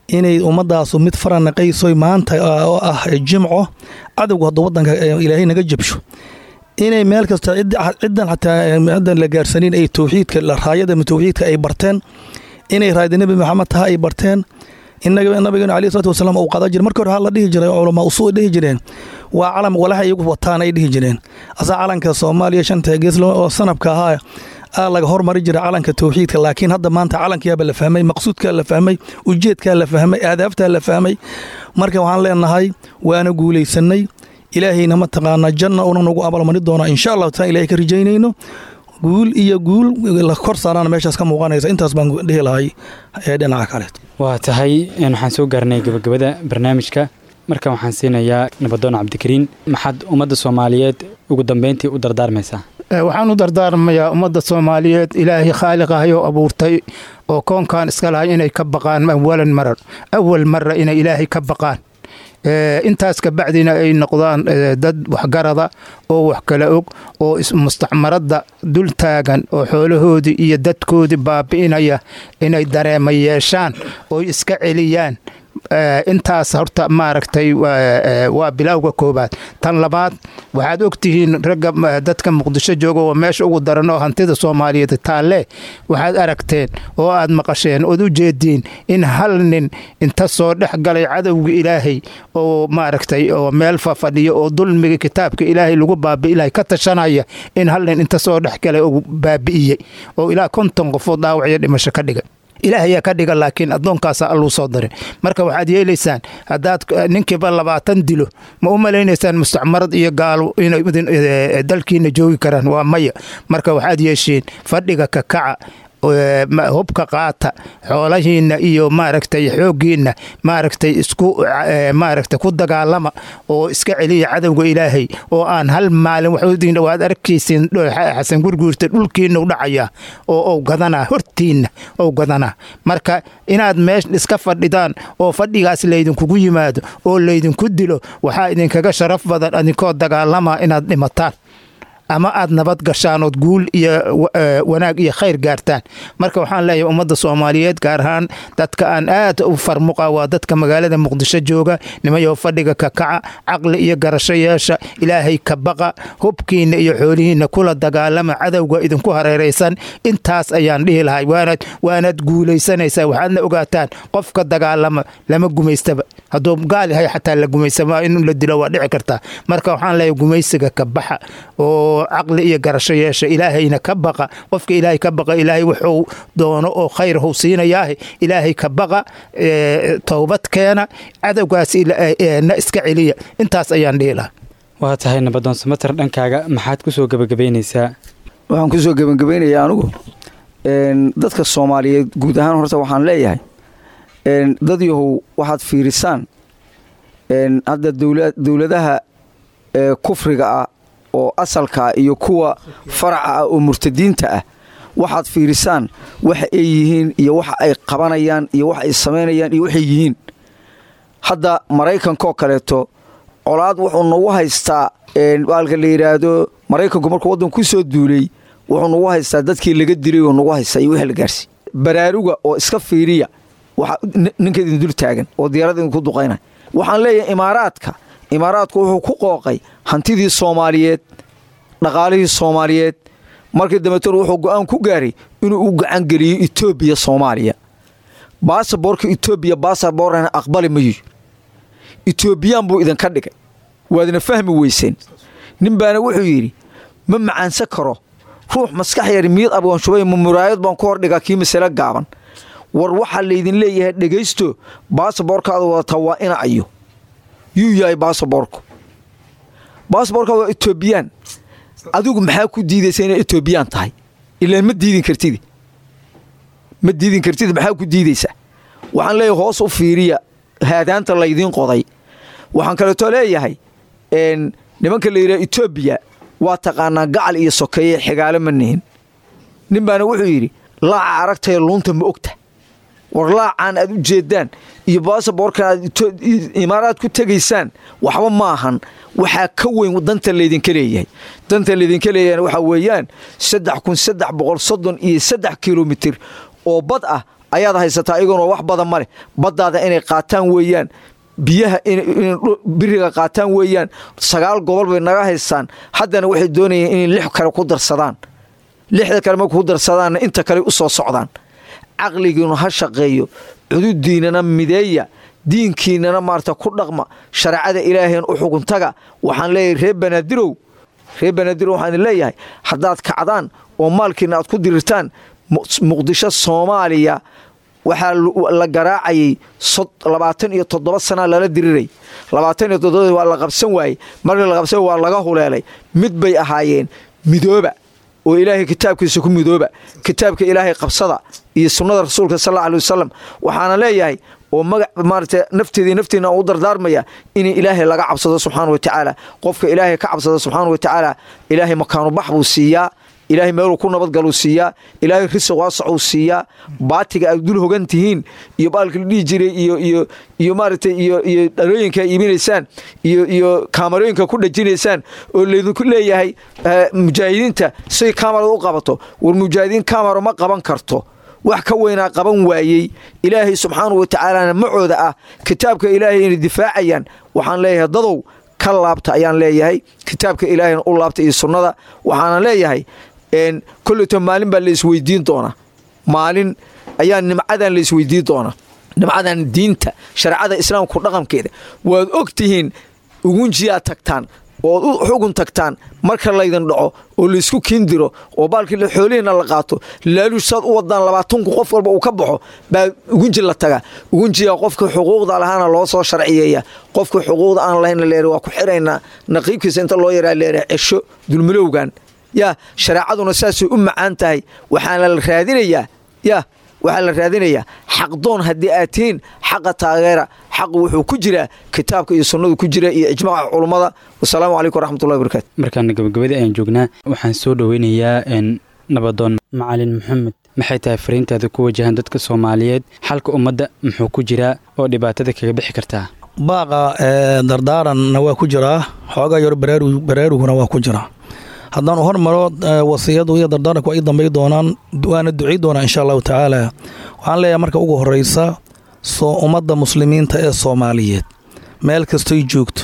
inay ummadaasu mid faranaqaysoy. Maanta oo ah Jimco, cadowga hadduu wadanka Ilaahay naga jabsho, inay meel kasta ciddan xataa haddan la gaarsanin ay towxiidka, raayada towxiidka ay barteen, inay raayada Nebi Maxamed taha ay barteen, inaga nabigeenu alayhi salaatu wasalaam uu qadan jiray. Markii hore waxaa la dhihi jiray, culamaa usuu dhihi jireen, waa calam walaxa iyagu wataan ay dhihi jireen. Asaa calanka Soomaaliya shanta gees oo sanabka ahaa aa laga hormari jiray calanka towxiidka. Laakiin hadda maanta calankiyaaba la fahmay, maqsuudkaa la fahmay, ujeedkaa la fahmay, aadaabtaa la fahmay. Marka waxaan leenahay waana guulaysanay. Ilaahayna mataqaanaa janna una nagu abaalmarin doonaa, insha Allahu taala. Ilahay ka rajaynayno guul iyo guul la kor saarana meeshaas ka muuqanaysa. Intaas baan dhihi lahay ee dhinaca kale. Waa tahay, waxaan soo gaarnay gabagabada barnaamijka. Marka waxaan siinayaa Nabadoon Cabdikariin. Maxaad ummadda Soomaaliyeed ugu dambeyntii u dardaarmaysaa? Waxaan u dardaarmayaa ummadda Soomaaliyeed Ilaahay khaaliq ahayoo abuurtay oo koonkan iska lahay inay ka baqaan awalan marar, awal mara inay Ilaahay ka baqaan. Intaas ka bacdina ay noqdaan dad waxgarada oo wax kala og oo mustacmaradda dul taagan oo xoolahoodii iyo dadkoodii baabi'inaya inay dareema yeeshaan oo iska celiyaan. Intaas horta maaragtay waa bilowga koobaad. Tan labaad, waxaad ogtihiin ragga dadka Muqdisho jooga oo meesha ugu daran oo hantida Soomaaliyeed taalle, waxaad aragteen oo aad maqasheen ood u jeediin in hal nin inta soo dhex galay cadowga Ilaahay oo maaragtay oo meel fafadhiyo oo dulmiga kitaabka Ilaahay lagu baabi'ilahay ka tashanaya, in hal nin inta soo dhex galay oo baabi'iyey oo ilaa 50 qofood dhaawacyo dhimasho ka dhigay. Ilaahayaa ka dhiga, laakiin addoonkaasa Alluu soo diray. Marka waxaad yeelaysaan, haddaad ninkiiba 20 dilo, ma u malaynaysaan mustacmarad iyo gaalo inay dalkiina joogi karaan? Waa maya. Marka waxaad yeeshiin fadhiga ka kaca, hubka qaata, xoolahiinna iyo maaragtay xooggiinna maaragtay isku maaragtay ku dagaalama oo iska celiya cadowga Ilaahay oo aan hal maalin waxudiin. Waad arkaysiin Xasan Gurguurta dhulkiinna u dhacaya oo ou gadanaa, hortiinna ou gadanaa. Marka inaad meesha iska fadhidaan oo fadhigaas laydinkugu yimaado oo laydinku dilo waxaa idinkaga sharaf badan adinkoo dagaalama inaad dhimataan ama aad nabad gashaan ood guul iyo wanaag iyo khayr gaartaan. Marka waxaan leeyahay ummadda Soomaaliyeed, gaar ahaan dadka aan aad u farmuqa waa dadka magaalada Muqdisho jooga: nimayow, fadhiga ka kaca, caqli iyo garasho yeesha, Ilaahay ka baqa, hubkiinna iyo xoolihiinna kula dagaalama cadowga idinku hareeraysan. Intaas ayaan dhihi lahay, waanaad guulaysanaysaa. Waxaadna ogaataan qofka dagaalama lama gumaystaba. Hadduu gaal yahay xataa la gumaysama, in la dilo waa dhici kartaa. Marka waxaan leeyahay gumaysiga ka baxa oo caqli iyo garasho yeesha, Ilaahayna ka baqa. Qofka Ilaahay ka baqa, Ilaahay wuxuu doono oo khayr huu siinayaahe. Ilaahay ka baqa, towbad keena, cadowgaas na iska celiya. Intaas ayaan dhihi lahaa. Waa tahay, Nabadoon Samater, dhankaaga maxaad ku soo gebagabaynaysaa? Waxaan ku soo gebagabaynayaa anigu dadka Soomaaliyeed guud ahaan, horta waxaan leeyahay dad yahow, waxaad fiirisaan hadda dowladaha kufriga ah oo asalka ah iyo kuwa faraca ah oo murtadiinta ah. Waxaad fiirisaan waxa ay yihiin iyo waxa ay qabanayaan iyo waxa ay samaynayaan iyo waxay yihiin. Hadda Maraykankaoo kaleeto colaad wuxuu nagu haystaa baalka la yidhaahdo. Maraykanku markuu waddan ku soo duulay wuxuu nagu haystaa dadkii laga dilay oo nagu haystaa iyo wixii la gaarsiiy. Baraaruga oo iska fiiriya waxa ninka idin dul taagan oo diyaarada idinku duqaynaya. Waxaan leeyahay Imaaraadka, Imaaraadku wuxuu ku qooqay hantidii Soomaaliyeed, dhaqaalihii Soomaaliyeed. Markii dambeetona wuxuu go'aan ku gaaray inuu u gacangeliyo Etoobiya Soomaaliya. Baasaboorka Etoobiya baasaboorana aqbali mayo, Etoobiyaan buu idinka dhigay, waadna fahmi weyseen. Nin baana wuxuu yidhi: "Ma macaansan karo ruux maskax yar miyad abwaanshubay, ma muraayad baan ku hordhigaa kii masale gaaban?" War waxaa laydin leeyahay dhegaysto, baasaboorkaada wadataa waa ina ayo yuu yahay baasaboorku. Baasaboorkaada waa Etoobiyaan. Adigu maxaa ku diidaysa inay Etoobiyaan tahay? Ilaan ma diidin kartidi, ma diidin kartid, maxaa ku diidaysaa? Waxaan leeyahay hoos u fiiriya. Haadaanta laydiin qoday. Waxaan kaleeto leeyahay, nimanka la yidhaha Etoobiya waa taqaanaa, gacal iyo sokeeye xigaalo ma nihin. Nin baana wuxuu yidhi: "Laaca aragtaya, luunta ma ogta?" War laacaan aad u jeedaan iyo baasaboorkan aad Imaaraad ku tegaysaan waxba maahan. Waxaa ka weyn danta laydinka leeyahay. Danta laydinka leeyahayna waxaa weeyaan 3333 kilomitir oo bad ah ayaad haysataa, iyagoona wax badan ma leh. Baddaada inay qaataan weeyaan, biyaha biriga qaataan weeyaan. 9 gobol bay naga haystaan. Haddana waxay doonayeen inay lix kale ku darsadaan. Lixda kale marku ku darsadaanna, inta kale u soo socdaan. Caqligiinu ha shaqeeyo, cududiinana mideeya, diinkiinana maarata ku dhaqma, shareecada Ilaaheen u xuguntaga. Waxaan leeyahay reer Banaadirow, reer Banaadirow, waxaan idin leeyahay, haddaad kacdaan oo maalkiina aad ku dirirtaan Muqdisho, Soomaaliya waxaa la garaacayay 27 sanaa lala diriray. 27 waa la qabsan waayey. Markii la qabsan waa laga huleelay. Mid bay ahaayeen. Midooba oo Ilaahay kitaabkiisa ku midooba, kitaabka Ilaahay qabsada iyo sunnada Rasuulka sal alla alay wasalam. Waxaana leeyahay oo magac maarata nafteeda nafteena u dardaarmaya in Ilaahay laga cabsado subxaana wa tacaala. Qofka Ilaahay ka cabsado subxaana wa tacaala, Ilaahay makaanu bax buu siiyaa, Ilaahay meeluu ku nabadgaluu siiyaa, Ilaahay risiq waasacuu siiyaa. Baatiga aad dul hogan tihiin iyo baalka la dhihi jiray iyo maaragtay iyo dhalooyinka iibinaysaan iyo kaamarooyinka ku dhajinaysaan oo laydinku leeyahay mujaahidiinta say kaamarada u qabato. War mujaahidiin kaamaro ma qaban karto. Wax ka weynaa qaban waayey, Ilaahay subxaanahu wa tacaalana macooda ah, kitaabka Ilaahay inay difaacayaan. Waxaan leeyahay dadow ka laabta ayaan leeyahay, kitaabka Ilaahayna u laabta iyo sunnada. Waxaana leeyahay kolleto maalin baa la isweydiin doonaa, maalin ayaa nimcadan la isweydiin doonaa, nimcadan diinta shareecada Islaamku dhaqankeeda. Waad og tihiin, Ugunjiyaad tagtaan ood u xugun tagtaan marka laydin dhaco oo laysku kiindiro oo baalkii xoolihiina la qaato, laaluush saad u wadaan 20,000 qof walba uu ka baxo baa Ugunji la tagaa. Ugunjiga qofka xuquuqda lahaana loo soo sharciyeeya, qofka xuquuqda aan lahayn leer waa ku xiraynaa, naqiibkiisa inta loo yaraa leer cesho dulmilowgan. Yaa shareecaduna saasay u macaan tahay. Waxaana la raadinayaa, yaa waxaa la raadinayaa xaqdoon haddii aad tihiin, xaqa taageera. Xaqu wuxuu ku jiraa kitaabka iyo sunnadu ku jira iyo ijmaaca culummada. Wasalaamu calaykum waraxmatullahi wabarakatu. Markaana gabagabadii ayaan joognaa. Waxaan soo dhoweynayaa nabadoon Macalin Maxamed. Maxay tahay fariintaada ku wajahan dadka Soomaaliyeed? Xalka ummadda muxuu ku jiraa oo dhibaatada kaga bixi kartaa? Baaqa dardaaranna waa ku jiraa, xoogaa yar baraaruguna waa ku jiraa. Haddaan hormaro wasiyadu iyo dardaaranku waa ii dambay doonaan, waana ducay doonaa insha Allahu tacaala. Waxaan leeyahay marka ugu horeysa soo ummadda muslimiinta ee Soomaaliyeed meel kastoy joogto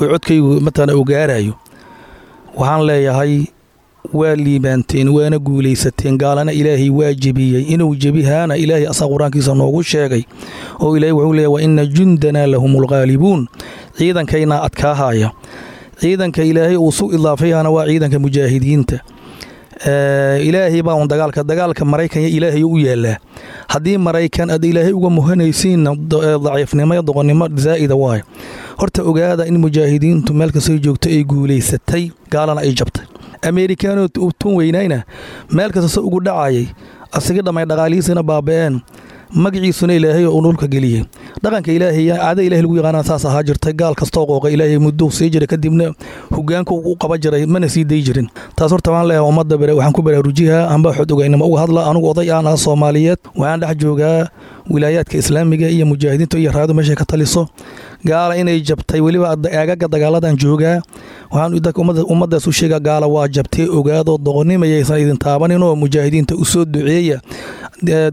oo codkaygu matalan uu gaarayo, waxaan leeyahay waa liibaanteen, waana guulaysateen. Gaalana Ilaahay waa jebiyey. Inuu jebihaana Ilaahay asaa Qur-aankiisa noogu sheegay, oo Ilahay wuxuu leeyahy: "Wa ina jundanaa lahumul ghaalibuun." Ciidankaynaa adkaahaya. Ciidanka Ilaahay uu su idaafayana waa ciidanka mujaahidiinta. Ilaahay baa un dagaalka Maraykan Ilaahay u yaalaa. Haddii Maraykan aad Ilaahay uga muhanaysiinna, daciifnimo iyo doqonnimo zaa'ida waayo. Horta ogaada in mujaahidiintu meel kastoo joogto ay guulaysatay, gaalana ay jabtay. Ameerikaanoo tun weynayna meel kasta se ugu dhacayay, asiga dhammay, dhaqaalihiisina baaba'een, magaciisuna Ilaahay oo dhulka geliyey. Dhaqanka Ilaahay, caada Ilahay lagu yaqaana saas ahaa jirtay. Gaal kastoo qooqa Ilaahay mudduu sii jiray, kadibna hogaanka u qaba jiray, mana sii day jirin. Taas horta waan leeyahay ummadda waxaan ku baraarujihaa amba xod ogaynimo uga hadla. Anugu oday aan ah Soomaaliyeed, waxaan dhex joogaa wilaayaadka Islaamiga iyo mujaahidiinta iyo raadu meeshay ka taliso. Gaala inay jabtay, weliba aagaga dagaaladan joogaa, waxaan ummaddaas u sheegaa gaala waa jabtay, ogaadoo doqonimayaysan idin taabaninoo mujaahidiinta u soo duceeya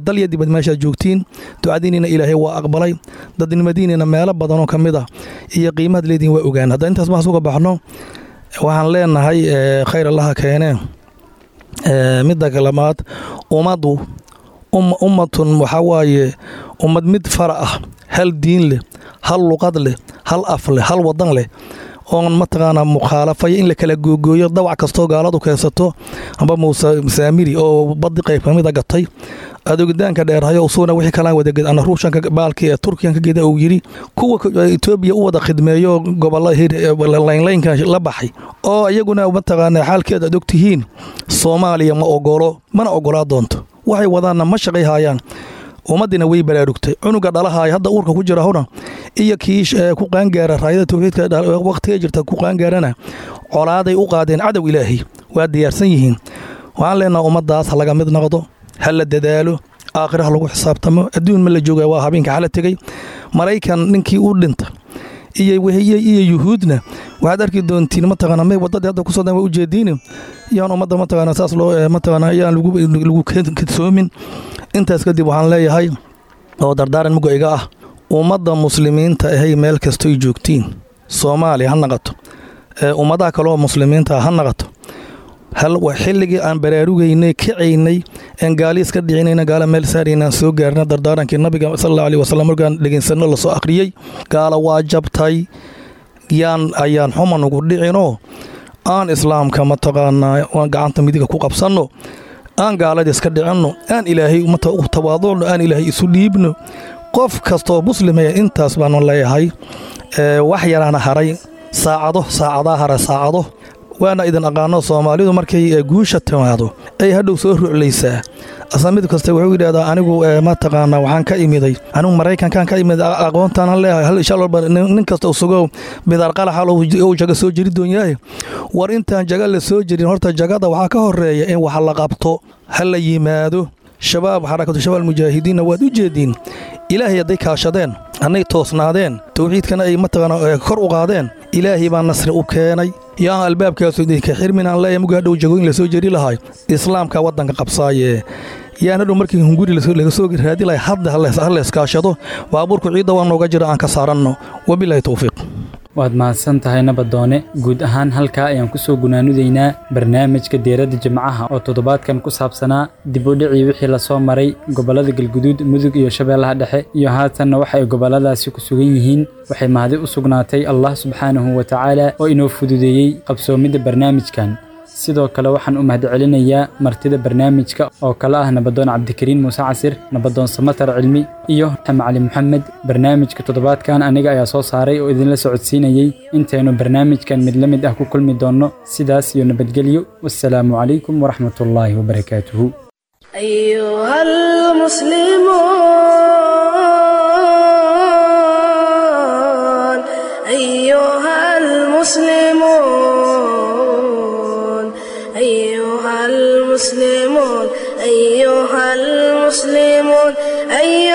dal iyo dibad meeshaad joogtiin. Ducadiinina Ilaahay waa aqbalay, dadnimadiinina meelo badanoo ka mid ah iyo qiimahaad leediin waa ogaan. Haddaan intaas maas uga baxno, waxaan leenahay khayr Allaha keenee. Midda kalamaad, ummaddu ummatun waxaa waaye ummad mid fara ah, hal diin leh, hal luqad leh, hal af leh, hal wadan leh, oon mataqaanaa mukhaalafaya in la kala googooyo dawac kastoo gaaladu keensato, amba Muuse Saamiri oo badi qayb kamida gatay, adoogitaanka dheerhayo usuuna wixii kalaan wada ana Ruushanka baalkii ee Turkiyan ka geda uu yiri, kuwa Etoobiya u wada khidmeeyo gobolada laynlaynka la baxay oo iyaguna mataqaanaa xaalkeeda aad ogtihiin. Soomaaliya ma ogolo, mana ogolaa doonto. Waxay wadaanna ma shaqay haayaan. Ummaddiina way baraarugtay. Cunuga dhalahaaya hadda uurka ku jira huna Iyo kii ku qaangaara raayada tawxiidka waqtiga jirta ku qaangaarana colaaday u qaadeen cadow Ilaahay, waa diyaarsan yihiin. Waxaan leenaha ummaddaas ha laga mid noqdo, ha la dadaalo, aakhira ha lagu xisaabtamo. Adduun ma la jooga, waa habeenka xala tegey. Maraykan ninkii u dhinta iyo iyo Yuhuudna waxaad arki doontiin, mataqaana, may wadadii hadda kusoo dan waa ujeediin. Yaan ummadda, mataqaana, saas loo, mataqaana, yaan lagu kadsoomin. Intaas kadib waxaan leeyahay oo dardaaran muga iga ah ummadda muslimiinta ahay meel kastoy joogtiin, Soomaaliya ha naqato, ummadaha kaleoo muslimiinta ha naqato, xilligii aan baraarugaynay, kacaynay, aan gaali iska dhicinayna, gaala meel saaraynaan soo gaarna. Dardaarankii nabiga sal Allahu aleyhi wasalam markaan dhegeysanno lasoo akhriyey, gaala waa jabtay. Yaan ayaan xuma nugu dhicinoo aan islaamka, mataqaanaa, aan gacanta midiga ku qabsanno, aan gaalada iska dhicinno, aan Ilaahay u tawaaducno, aan Ilaahay isu dhiibno. Qof kastoo muslimaya intaas baanu leeyahay. Wax yaraana haray, saacado, saacadaa hara, saacado. Waana idin aqaano, Soomaalidu markay guusha timaado ay hadhow soo ruclaysaa. Asla mid kasta wuxuu yidhahdaa, anigu, mataqaanaa, waxaan ka imiday, anigu Maraykankaan ka imid, aqoontaan leeyahay. Hal insha Allah nin kasta isagoo bidaar qalaxa uu jaga soo jeri doonyahay. War intaan jaga la soo jirin, horta jagada waxaa ka horeeya in wax la qabto. Ha la yimaado shabaab, Xarakatu Shabaab Mujaahidiinna waad u jeediin. Ilaahay hadday kaashadeen, hadday toosnaadeen, tawxiidkana ay, mataqaana, kor u qaadeen, Ilaahay baa nasri u keenay. Yaan albaabkaasu idinka xirmin aan leeyahay. Muga hadhow jagooyin lasoo jeri lahay, islaamka waddanka qabsaaye, yaan hadhow markii hunguri laga soo raadi lahay. Hadda ha layskaashado, baabuurku ciidda waa nooga jira, aan ka saaranno. Wabilaahi towfiiq. Waad mahadsan tahay, Nabadoone. Guud ahaan halkaa ayaan kusoo gunaanidaynaa barnaamijka Diiradda Jimcaha oo toddobaadkan ku saabsanaa dib u dhicii wixii lasoo maray gobollada Galguduud, Mudug iyo Shabeellaha Dhexe, iyo haatanna waxa ay gobolladaasi ku sugan yihiin. Waxay mahadi u sugnaatay Allah subxaanahu wa tacaala oo inoo fududeeyey qabsoomidda barnaamijkan. Sidoo kale waxaan u mahadcelinayaa martida barnaamijka oo kale ah Nabadoon Cabdikariin Muuse Casir, Nabadoon Samatar Cilmi iyo Macali Maxamed. Barnaamijka toddobaadkan aniga ayaa soo saaray oo idinla socodsiinayey. Intaynu barnaamijkan mid la mid ah ku kulmi doonno, sidaas iyo nabadgelyo. Wassalaamu calaykum waraxmatullaahi wabarakaatuhu. أيها المسلمون، أيها المسلمون، أيها المسلمون، أيها